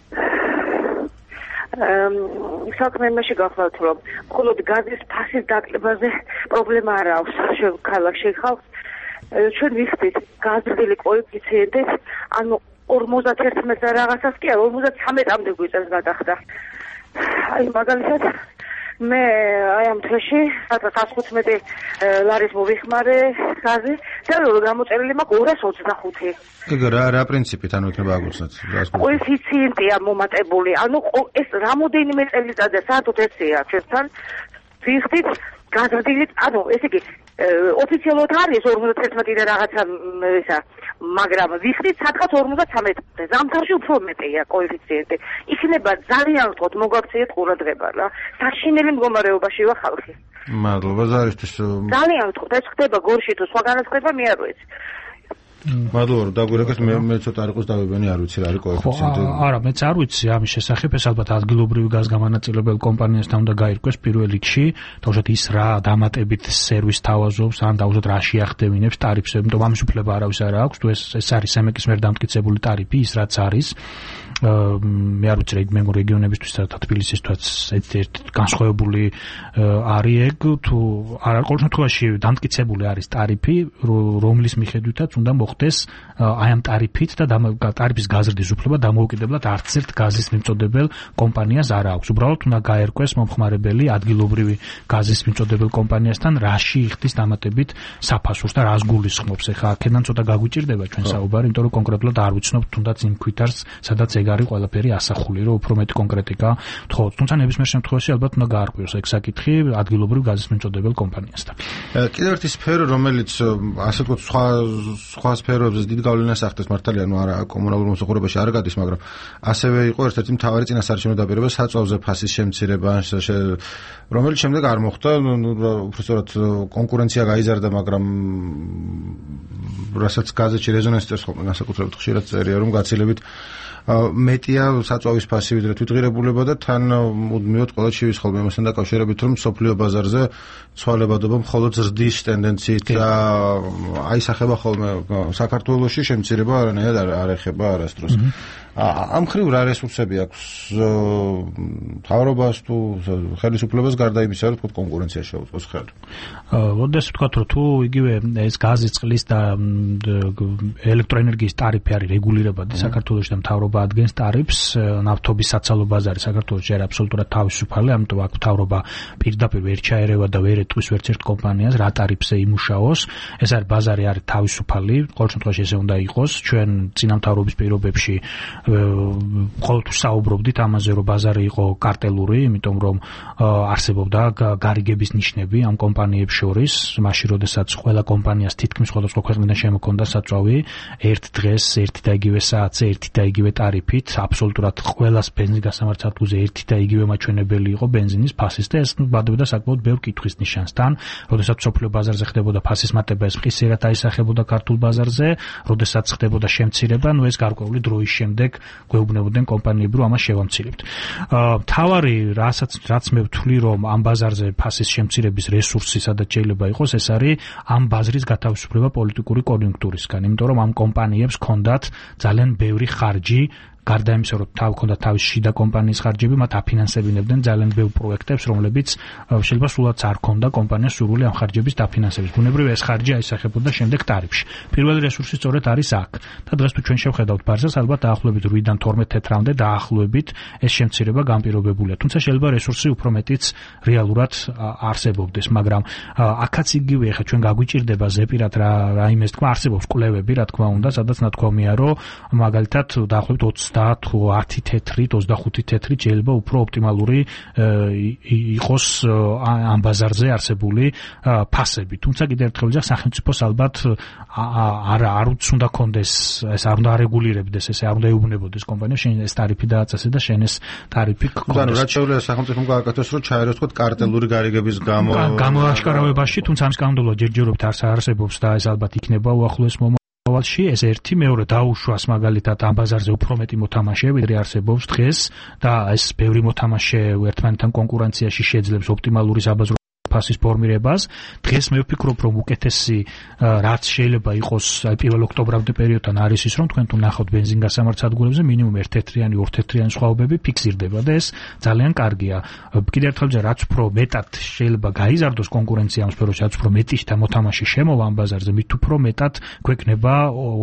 საქმე იმაში გახლავთ, რომ მხოლოდ გაზის ფასის დაკლებაზე პრობლემა არ აქვს ქალაქში ხალხს. ჩვენ ვიხდით გაზრდილი კოეფიციენტით, ანუ 51 და რაღაცას კი არა 53-მდე გვიწევს გადახდა. აი მაგალითად მე აი ამ თვეში 115 ლარის მოვიხმარე გაზი და გამოწერილი მაქვს 225. ეგ რა პრინციპით ანუ იქნება აგუცნათ? კოეფიციენტია მომატებული. ანუ ეს რამოდენიმე წელიწადია საერთოდ ესეა ჩვენთან ვიხდით გაზრდილით, ანუ ესე იგი ოფიციალურად არის 51 და რაღაცა ისა, მაგრამ ვიხდით სადღაც 53-ზე. ზამთარში უფრო მეტია კოეფიციენტი. იქნება ძალიან ვთქვათ მოგვაქციეთ ყურადღება რა. საშინელი მდგომარეობაშია ხალხი. მადლობა ზარისთვის. ძალიან ვთქვათ, ეს ხდება გორში თუ სხვაგანაც ხდება, მე არ ვიცი. მადლობა, დაგვირეკეთ მე ცოტა არ იყოს დავებანი, არ ვიცი რა არის კოეფიციენტი. არა, მეც არ ვიცი ამის შესახებ, ეს ალბათ ადგილობრივი გაზგამანაწილებელ კომპანიასთან უნდა გაირკვეს პირველ რიგში, თავშოთ ის რა დამატებით სერვისს თავაზობს, ან თავშოთ რა შეახდევინებს ტარიფს, იმიტომ ამის უფლება არავის არ აქვს, თუ ეს არის სემეკის მიერ დამტკიცებული ტარიფი, ის რაც არის. მე არ ვიცი მე რეგიონებისთვის და თბილისისთვის ერთ განსხვავებული არის ეგ თუ არა ყოველ შემთხვევაში დამტკიცებული არის ტარიფი რომლის მიხედვითაც უნდა მოხდეს აი ამ ტარიფით და ტარიფის გაზრდის უფლება დამოუკიდებლად არც ერთ გაზის მიმწოდებელ კომპანიას არ აქვს უბრალოდ უნდა გაერკვეს მომხმარებელი ადგილობრივი გაზის მიმწოდებელ კომპანიასთან რაში იხდის დამატებით საფასურს და რას გულისხმობს ეხლა აქედან ცოტა გაგვიჭირდება ჩვენ საუბარი იმიტომ რომ კონკრეტულად არ ვიცნობთ თუნდაც იმ ქვითარს სადაც ეგ არის ყველაფერი ასახული რომ უფრო მეტი კონკრეტიკა თხოვთ თუმცა ნებისმიერ შემთხვევაში ალბათ უნდა გაარკვიოს ეგ საკითხი ადგილობრივ გაზის მიმწოდებელ კომპანიასთან კიდევ ერთი სფერო რომელიც ასე ვთქვათ სხვა სფეროებზე დიდ გავლენას ახდენს მართალია ნუ არა კომუნალურ მოსახლეობაში არ გადის მაგრამ ასევე იყო ერთ-ერთი მთავარი წინასაარჩევნო დაპირება საწვავზე ფასის შემცირება რომელიც შემდეგ არ მოხდა უბრალოდ კონკურენცია გაიზარდა მაგრამ რასაც გაზეთში რეზონანსი წერს ხოლმე განსაკუთრებით ხშირად წერია რომ გაცილებით მეტია საწვავის ფასი ვიდრე თვითღირებულება და თან მუდმივად ყველა შევის ხოლმე ამასთან დაკავშირებით რომ სოფლიო ბაზარზე ცვალებადობა მხოლოდ ზრდის ტენდენციით და აისახება ხოლმე საქართველოში შემცირება არანაირად არ ეხება არასდროს ამ ხრივ რა რესურსები აქვს მთავრობას თუ ხელისუფლებას გარდა იმისა რომ კონკურენცია შეუწყოს ხელი ოდესმე ვთქვათ რომ თუ იგივე ეს გაზის წყლის და ელექტროენერგიის ტარიფი არის რეგულირებადი საქართველოში და მთავრობა ადგენს ტარიფს ნავთობის საცალო ბაზარი საქართველოში არის აბსოლუტურად თავისუფალი ამიტომ აქ მთავრობა პირდაპირ ვერ ჩაერევა და ვერ ეტყვის ვერც ერთ კომპანიას რა ტარიფზე იმუშაოს ეს არის ბაზარი არის თავისუფალი ყოველ შემთხვევაში ესე უნდა იყოს ჩვენ წინამთავრობის პირობებში ყოველთვის საუბრობდით ამაზე რომ ბაზარი იყო კარტელური იმიტომ რომ არსებობდა გარიგების ნიშნები ამ კომპანიებს შორის მაშინ როდესაც ყველა კომპანიას თითქმის სხვადასხვა ქვეყნიდან შემოქონდა საწვავი ერთ დღეს ერთი და იგივე საათზე ერთი და იგივე ტარიფით აბსოლუტურად ყველას ბენზინის გასამართ სადგურზე ერთი და იგივე მაჩვენებელი იყო ბენზინის ფასის და ეს ბადობდა საკმაოდ ბევრ კითხვის ნიშანსთან როდესაც სოფლიო ბაზარზე ხდებოდა ფასის მატება ეს ფხისიერად აისახებოდა ქართულ ბაზარზე როდესაც ხდებოდა შემცირება ნუ ეს გარკვეული დროის შემდეგ გვეუბნებოდნენ კომპანიები რომ ამას შევამცირებთ. მთავარი რაც მე ვთვლი რომ ამ ბაზარზე ფასის შემცირების რესურსი სადაც შეიძლება იყოს ეს არის ამ ბაზრის გათავისუფლება პოლიტიკური კონიუნქტურისგან, იმიტომ რომ ამ კომპანიებს ჰქონდათ ძალიან ბევრი ხარჯი გარდა იმისა რომ ჰქონდათ თავის შიდა კომპანიის ხარჯები, მათ აფინანსებინებდნენ ძალიან ბევრ პროექტებს, რომლებიც შეიძლება სულაც არ ჰქონდა კომპანიას სურვილი ამ ხარჯების დაფინანსების. ბუნებრივია ეს ხარჯი აისახებოდა შემდეგ ტარიფში. პირველი რესურსი სწორედ არის აქ. და დღეს თუ ჩვენ შევხედავთ ბაზარს, ალბათ დაახლოებით 8-დან 12 თეთრამდე დაახლოებით ეს შემცირება განპირობებულია. თუმცა შეიძლება რესურსი უფრო მეტიც რეალურად არსებობდეს, მაგრამ აქაც იგივე ხა ჩვენ გაგვიჭირდება ზეპირად რა იმეს თქვა, არსებობს კვლევები, რა თქმა უნდა, სადაც ნათქვამია, რომ მაგალითად დაახლოებით 10 თუ 10 თეთრით, 25 თეთრით შეიძლება უფრო ოპტიმალური იყოს ამ ბაზარზე არსებული ფასები. თუმცა კიდევ ერთხელ ვიძახ სახელმწიფოს ალბათ არ უნდა კონდეს, ეს არ უნდა არეგულირებდეს, ეს არ უნდა ეუბნებოდეს კომპანიას, შენ ეს ტარიფი დააწესე და შენ ეს ტარიფი გქონდეს. ანუ რაც შეუძლია სახელმწიფომ გააკეთოს, რომ ჩაეროს თქო კარტელური გარიგების გამოაშკარავებაში, თუმცა ამის კანონმდებლობა ჯერჯერობით არ არსებობს და ეს ალბათ იქნება უახლოეს მოვალში ეს ერთი მეორე დაუშვას მაგალითად ამ ბაზარზე უფრო მეტი მოთამაშე ვიდრე არსებობს დღეს და ეს ბევრი მოთამაშე ერთმანეთთან კონკურენციაში შეძლებს ოპტიმალური საბაზრო ფასის ფორმირებას დღეს მე ვფიქრობ რომ უკეთესი რაც შეიძლება იყოს აი 1 ოქტომბრამდე პერიოდთან არის ის რომ თქვენ თუ ნახავთ ბენზინ გასამართ სადგურებზე მინიმუმ 1 თეთრიანი 2 თეთრიანი სხვაობები ფიქსირდება და ეს ძალიან კარგია კიდევ ერთხელ რაც უფრო მეტად შეიძლება გაიზარდოს კონკურენცია ამ სფეროში რაც უფრო მეტი და მოთამაშე შემოვა ამ ბაზარზე მით უფრო მეტად გვექნება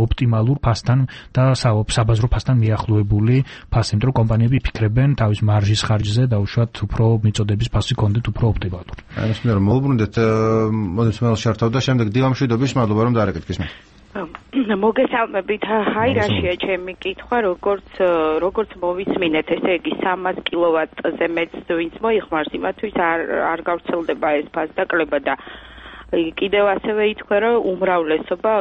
ოპტიმალურ ფასთან და საბაზრო ფასთან მიახლოებული ფასი იმიტომ რომ კომპანიები ფიქრებენ თავის მარჟის ხარჯზე და უშუალოდ უფრო მიწოდების ფასი კონდეთ უფრო ოპტიმალური მე რომ მოვუბრუნდეთ მოდესმელ შართავ და შემდეგ დილამშვიდობის მადლობა რომ დაარეკეთ მე მოგესალმებით ჰაი რაშია ჩემი კითხვა როგორც მოვისმინეთ ესე იგი 300 კილოვატზე მეც ვინც მოიხმარს იმათვის არ გავრცელდება ეს ფასდაკლება და კიდევ ასევე ითქვა რომ უმრავლესობა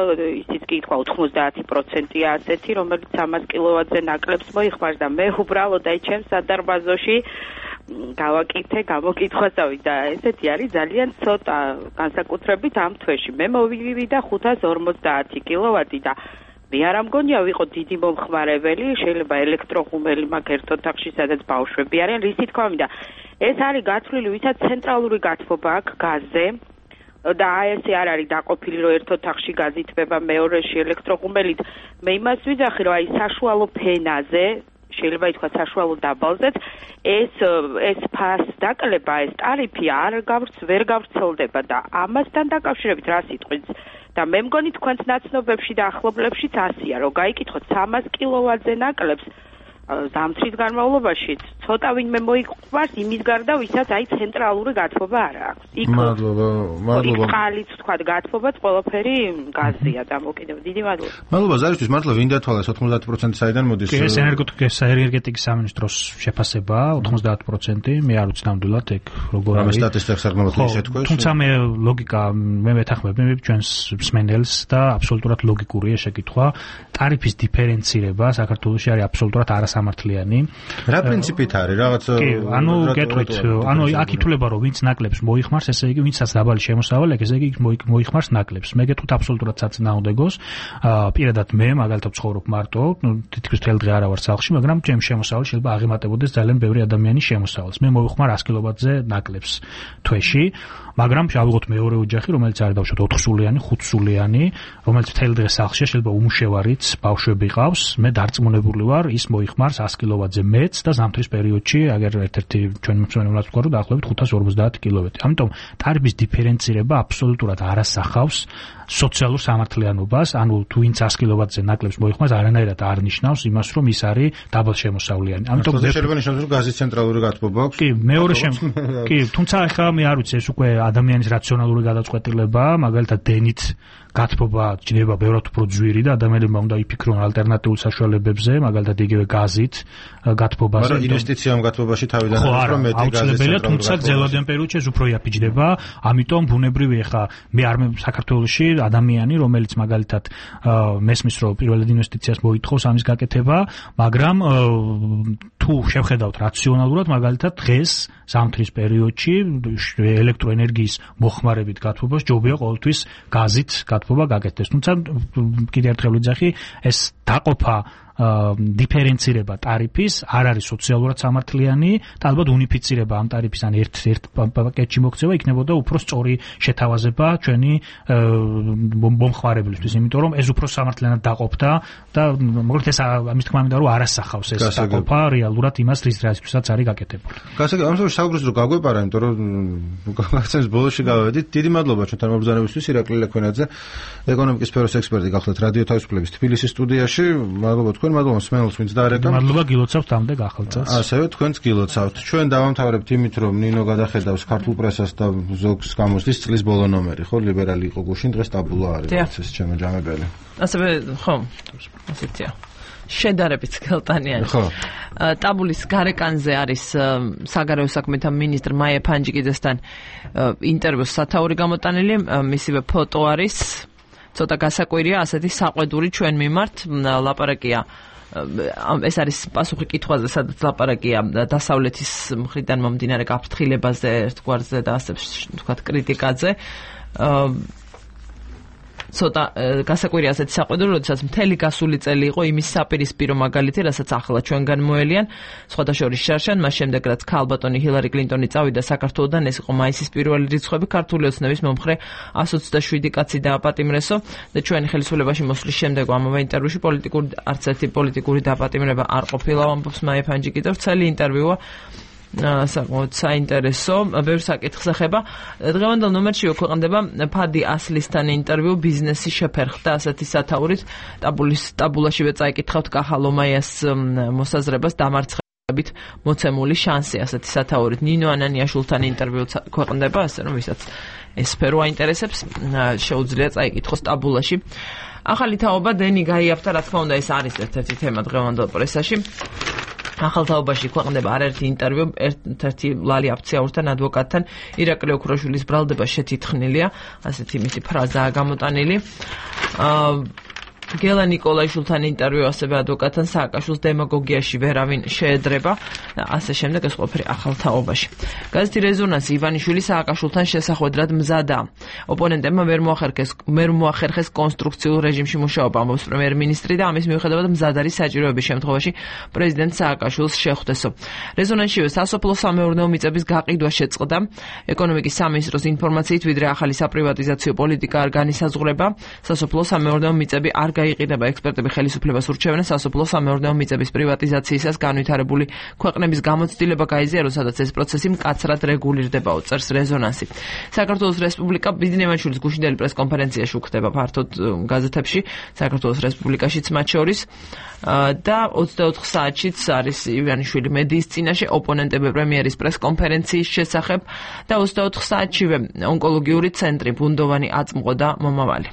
ისიც კი ითქვა 90%-ია ასეთი რომელიც 300 კილოვატზე ნაკლებს მოიხმარს და მე უბრალოდ აი ჩემს სადარბაზოში გავაკეთე გამოკითხვასავი და ესეთი არის ძალიან ცოტა განსაკუთრებით ამ თვეში. მე მოვივიდა 550 კილოვატი და მე არ ამგონია ვიყო დიდი მომხმარებელი, შეიძლება ელექტროღუმელი მაქვს ერთ ოთახში, სადაც ბავშვები არიან, რისი თქმა მინდა. ეს არის გათვლილი, ვისაც ცენტრალური გათბობა აქვს გაზზე და ეს არ არის დაყოფილი, რომ ერთ ოთახში გაზი თბება, მეორეში ელექტროღუმელით. მე იმას ვიძახი, რომ აი საშუალო ფენაზე შეიძლება ითქვა საშუალო დაბალზეც ეს ფას დაკლება, ეს ტარიფი ვერ გავრცელდება და ამასთან დაკავშირებით რა სიტყვით და მე მგონი თქვენს ნაცნობებში და ახლობლებშიც ასია, რომ გაიკითხოთ 300 კილოვატზე ნაკლებს ზამთრის განმავლობაში ცოტა ვინმე მოიყვარს იმის გარდა, ვისაც აი ცენტრალური გათბობა არ აქვს. მადლობა. ხალით თქვა გათბობაც ყველაფერი გაზია დამოკიდებული. დიდი მადლობა. მადლობა ზარისთვის, მართლა ვინ დათვალეს 90% საიდან მოდის? ეს ენერგეტიკის სამინისტროს შეფასებაა 90%. მე არ ვიცი ნამდვილად ეგ როგორ არის. ამ სტატისტიკას არ გამოთქვი თქვენ. თუმცა მე ლოგიკა მე მეთანხმები ჩვენს მსმენელს და აბსოლუტურად ლოგიკურია შეკითხვა. ტარიფის დიფერენცირება საქართველოში არის აბსოლუტურად არასამართლიანი. რა პრინციპით არის? რაღაც ანუ გეტყვით, ანუ აქ ითვლება რომ ვინც ნაკლებს მოიხმარს, ესე იგი ვინცაც დაბალი შემოსავალი აქვს, ესე იგი მოიხმარს ნაკლებს. მე გეტყვით აბსოლუტურად საწინააღმდეგოს. პირადად მე მაგალითად ვცხოვრობ მარტო, თითქმის მთელი დღე არა ვარ სახლში, მაგრამ ჩემი შემოსავალი შეიძლება აღემატებოდეს ძალიან ბევრი ადამიანის შემოსავალს. მე მოვიხმარ 100 კილოვატზე ნაკლებს თვეში. მაგრამ შევიღოთ მეორე ოჯახი, რომელიც არის დავუშვათ 4 სულიანი, 5 სულიანი, რომელიც მთელი დღე სახლშია, შეიძლება უმუშევარიც ბავშვები ყავს, მე დარწმუნებული ვარ, ის მოიხმარს 100 კილოვატზე მეც და ზამთრის პერიოდში, აგერ ერთ-ერთი ჩვენ მსმენელად ვთქვა, რომ დაახლოებით 550 კილოვატი. ამიტომ ტარიფის დიფერენცირება აბსოლუტურად არასახავს სოციალურ სამართლიანობას, ანუ თუ ვინც 100 კილოვატზე ნაკლებს მოიხმარს, არანაირად არ ნიშნავს იმას, რომ ის არის დაბალშემოსავლიანი. ამიტომ შეიძლება ნიშნავს, რომ გაზის ცენტრალური გათბობა აქვს. კი, თუმცა ახლა მე არ ვიცი, ეს უკვე ადამიანის რაციონალური გადაწყვეტილებაა, მაგალითად დენით გათბობა ჭირდება ბევრად უფრო ძვირი და ადამიანებმა უნდა იფიქრონ ალტერნატიულ საშუალებებზე, მაგალითად იგივე გაზით გათბობაზე. მაგრამ ინვესტიციამ გათბობაში თავიდან უფრო მეტი გაზის ცენტრალური, თუმცა გრძელვადიან პერიოდში ეს უფრო იაფიჯდება, ამიტომ ბუნებრივი ახლა მე არ საქართველოში ადამიანი, რომელიც მაგალითად მესმის რომ პირველად ინვესტიციას მოითხოვს ამის გაკეთება, მაგრამ თუ შევხედავთ რაციონალურად, მაგალითად დღეს ზამთრის პერიოდში ელექტროენერგიის მოხმარებით გათბობას ჯობია ყოველთვის გაზით გათბობა გაკეთდეს. თუმცა კიდევ ერთხელ ვიძახი, ეს დაყოფა დიფერენცირება ტარიფის არ არის სოციალურად სამართლიანი და ალბათ უნიფიცირება ამ ტარიფის ან ერთ პაკეტში მოქცევა იქნებოდა უფრო სწორი შეთავაზება ჩვენი მომხმარებლისთვის, იმიტომ რომ ეს უფრო სამართლიანად დაყოფდა და მოკლედ ეს ამის თქმა მინდა რომ არასახავს ეს დაყოფა რეალურად იმას რისთვისაც არის გაკეთებული. გასაგებია, ამ შემთხვევაში საუბრობთ რომ გაგვეპარა, იმიტომ რომ გაგაცემს ბოლოში გავედით. დიდი მადლობა ჩვენთან მობრძანებისთვის, ირაკლი ლექვენაძე, ეკონომიკის სფეროს ექსპერტი გახლდათ რადიო თავისუფლების თბილისის სტუდიაში. მადლობა თქვენ, მადლობა მსმენელს, ვინც დაარეკა. მადლობა, გილოცავთ ამდე ახალწელს. ასევე თქვენც გილოცავთ. ჩვენ დავამთავრებთ იმით, რომ ნინო გადახედავს ქართულ პრესას და ზოგს გამოსდის წლის ბოლო ნომერი, ხო, ლიბერალი იყო გუშინ, დღეს ტაბულა არის, ეს ჩემო ჯამებელი. ასევე, ხო, ასეთია. შედარებით გელტანიანი. ხო. ტაბულის გარეკანზე არის საგარეო საქმეთა მინისტრ მაია ფანჯიკიძესთან ინტერვიუს სათაური გამოტანილი, მისივე ფოტო არის. ცოტა გასაკვირია, ასეთი საყვედური ჩვენ მიმართ ლაპარაკია. ეს არის პასუხი კითხვაზე, სადაც ლაპარაკია დასავლეთის მხრიდან მომდინარე გაფრთხილებაზე, ერთგვარზე და ასე ვთქვათ კრიტიკაზე. ცოტა გასაკვირია ასეთი საყვედური, როდესაც მთელი გასული წელი იყო იმის საპირისპირო მაგალითი, რასაც ახლა ჩვენგან მოელიან, სხვადასხვა შარშან, მას შემდეგ რაც ქალბატონი ჰილარი კლინტონი წავიდა საქართველოდან, ეს იყო მაისის პირველი რიცხვები, ქართული ოცნების მომხრე 127 კაცი დააპატიმრესო და ჩვენი ხელისუფლებაში მოსვლის შემდეგ ამავე ინტერვიუში არც ერთი პოლიტიკური დაპატიმრება არ ყოფილა, ამბობს მაია ფანჯიკიძე. ვრცელი ინტერვიუა, საკმაოდ საინტერესო, ბევრ საკითხს ეხება. დღევანდელ ნომერში ქვეყნდება ფადი ასლისთან ინტერვიუ, ბიზნესი შეფერხდა ასეთი სათაურით. ტაბულაშივე წაიკითხავთ კახალომაიას მოსაზრებას დამარცხებით მოცემული შანსი ასეთი სათაურით. ნინო ანანიაშვილთან ინტერვიუ ქვეყნდება, ასე რომ ვისაც ეს სფერო აინტერესებს, შეუძლია წაიკითხოს ტაბულაში. ახალი თაობა დენი გაიაფთა, რა თქმა უნდა, ეს არის ერთ-ერთი თემა დღევანდელ პრესაში. ახალ თაობაში ქვეყნდება არაერთი ინტერვიუ, ერთ-ერთი ლალი აფციაურთან, ადვოკატთან, ირაკლი ოქროშვილის ბრალდება შეთითხნილია, ასეთი მისი ფრაზაა გამოტანილი. გელა ნიკოლაიშვილთან ინტერვიუ, ასევე ადვოკატთან სააკაშვილს დემაგოგიაში ვერავინ შეედრება და ასე შემდეგ ეს ყველაფერი ახალ თაობაში. გაზეთი რეზონანსი ივანიშვილი სააკაშვილთან შესახვედრად მზადაა. ოპონენტებმა ვერ მოახერხეს კონსტრუქციულ რეჟიმში მუშაობა, ამბობს პრემიერ-მინისტრი და ამის მიუხედავად მზად არის საჭიროების შემთხვევაში პრეზიდენტ სააკაშვილს შეხვდესო. რეზონანსშივე სასოფლო სამეურნეო მიწების გაყიდვა შეწყდა. ეკონომიკის სამინისტროს ინფორმაციით, ვიდრე ახალი საპრივატიზაციო პოლიტიკა არ განისაზღვრება, სასოფლო სამეურნეო მიწები არ გაიყიდება. ექსპერტები ხელისუფლებას ურჩევენ სასოფლო სამეურნეო მიწების პრივატიზაციისას განვითარებული ქვეყნების გამოცდილება გაიზიაროს, სადაც ეს პროცესი მკაცრად რეგულირდებაო, წერს რეზონანსი. საქართველოს რესპუბლიკა ბიზნესმენშვილის გუშინდელი პრესკონფერენციაში უხდება ფართოდ გაზეთებში, საქართველოს რესპუბლიკაშიც მათ შორის და 24 საათშიც არის ივანიშვილი მედიის წინაშე ოპონენტები პრემიერის პრესკონფერენციის შესახებ და 24 საათშივე ონკოლოგიური ცენტრი ბუნდოვანი აწმყო და მომავალი.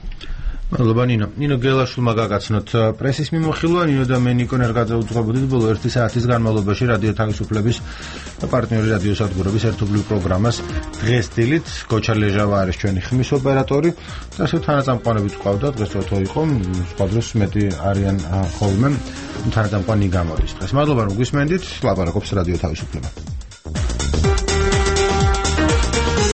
მადლობა ნინო გელაშვილმა გაგაცნოთ პრესის მიმოხილვა. ნინო და მე ნიკო ნერგაძე უძღვებოდით ბოლო 1 საათის განმავლობაში რადიო თავისუფლების და პარტნიორი რადიო სადგურების ერთობლივ პროგრამას დღეს დილით. გოჩა ლეჟავა არის ჩვენი ხმის ოპერატორი და ასე თანაწამყვანებით ყავდა. დღეს თო იყო, სხვა დროს მეტი არიან ხოლმე თანაწამყვანი გამოდის დღეს. მადლობა რომ გვისმენდით. ლაპარაკობს რადიო თავისუფლება.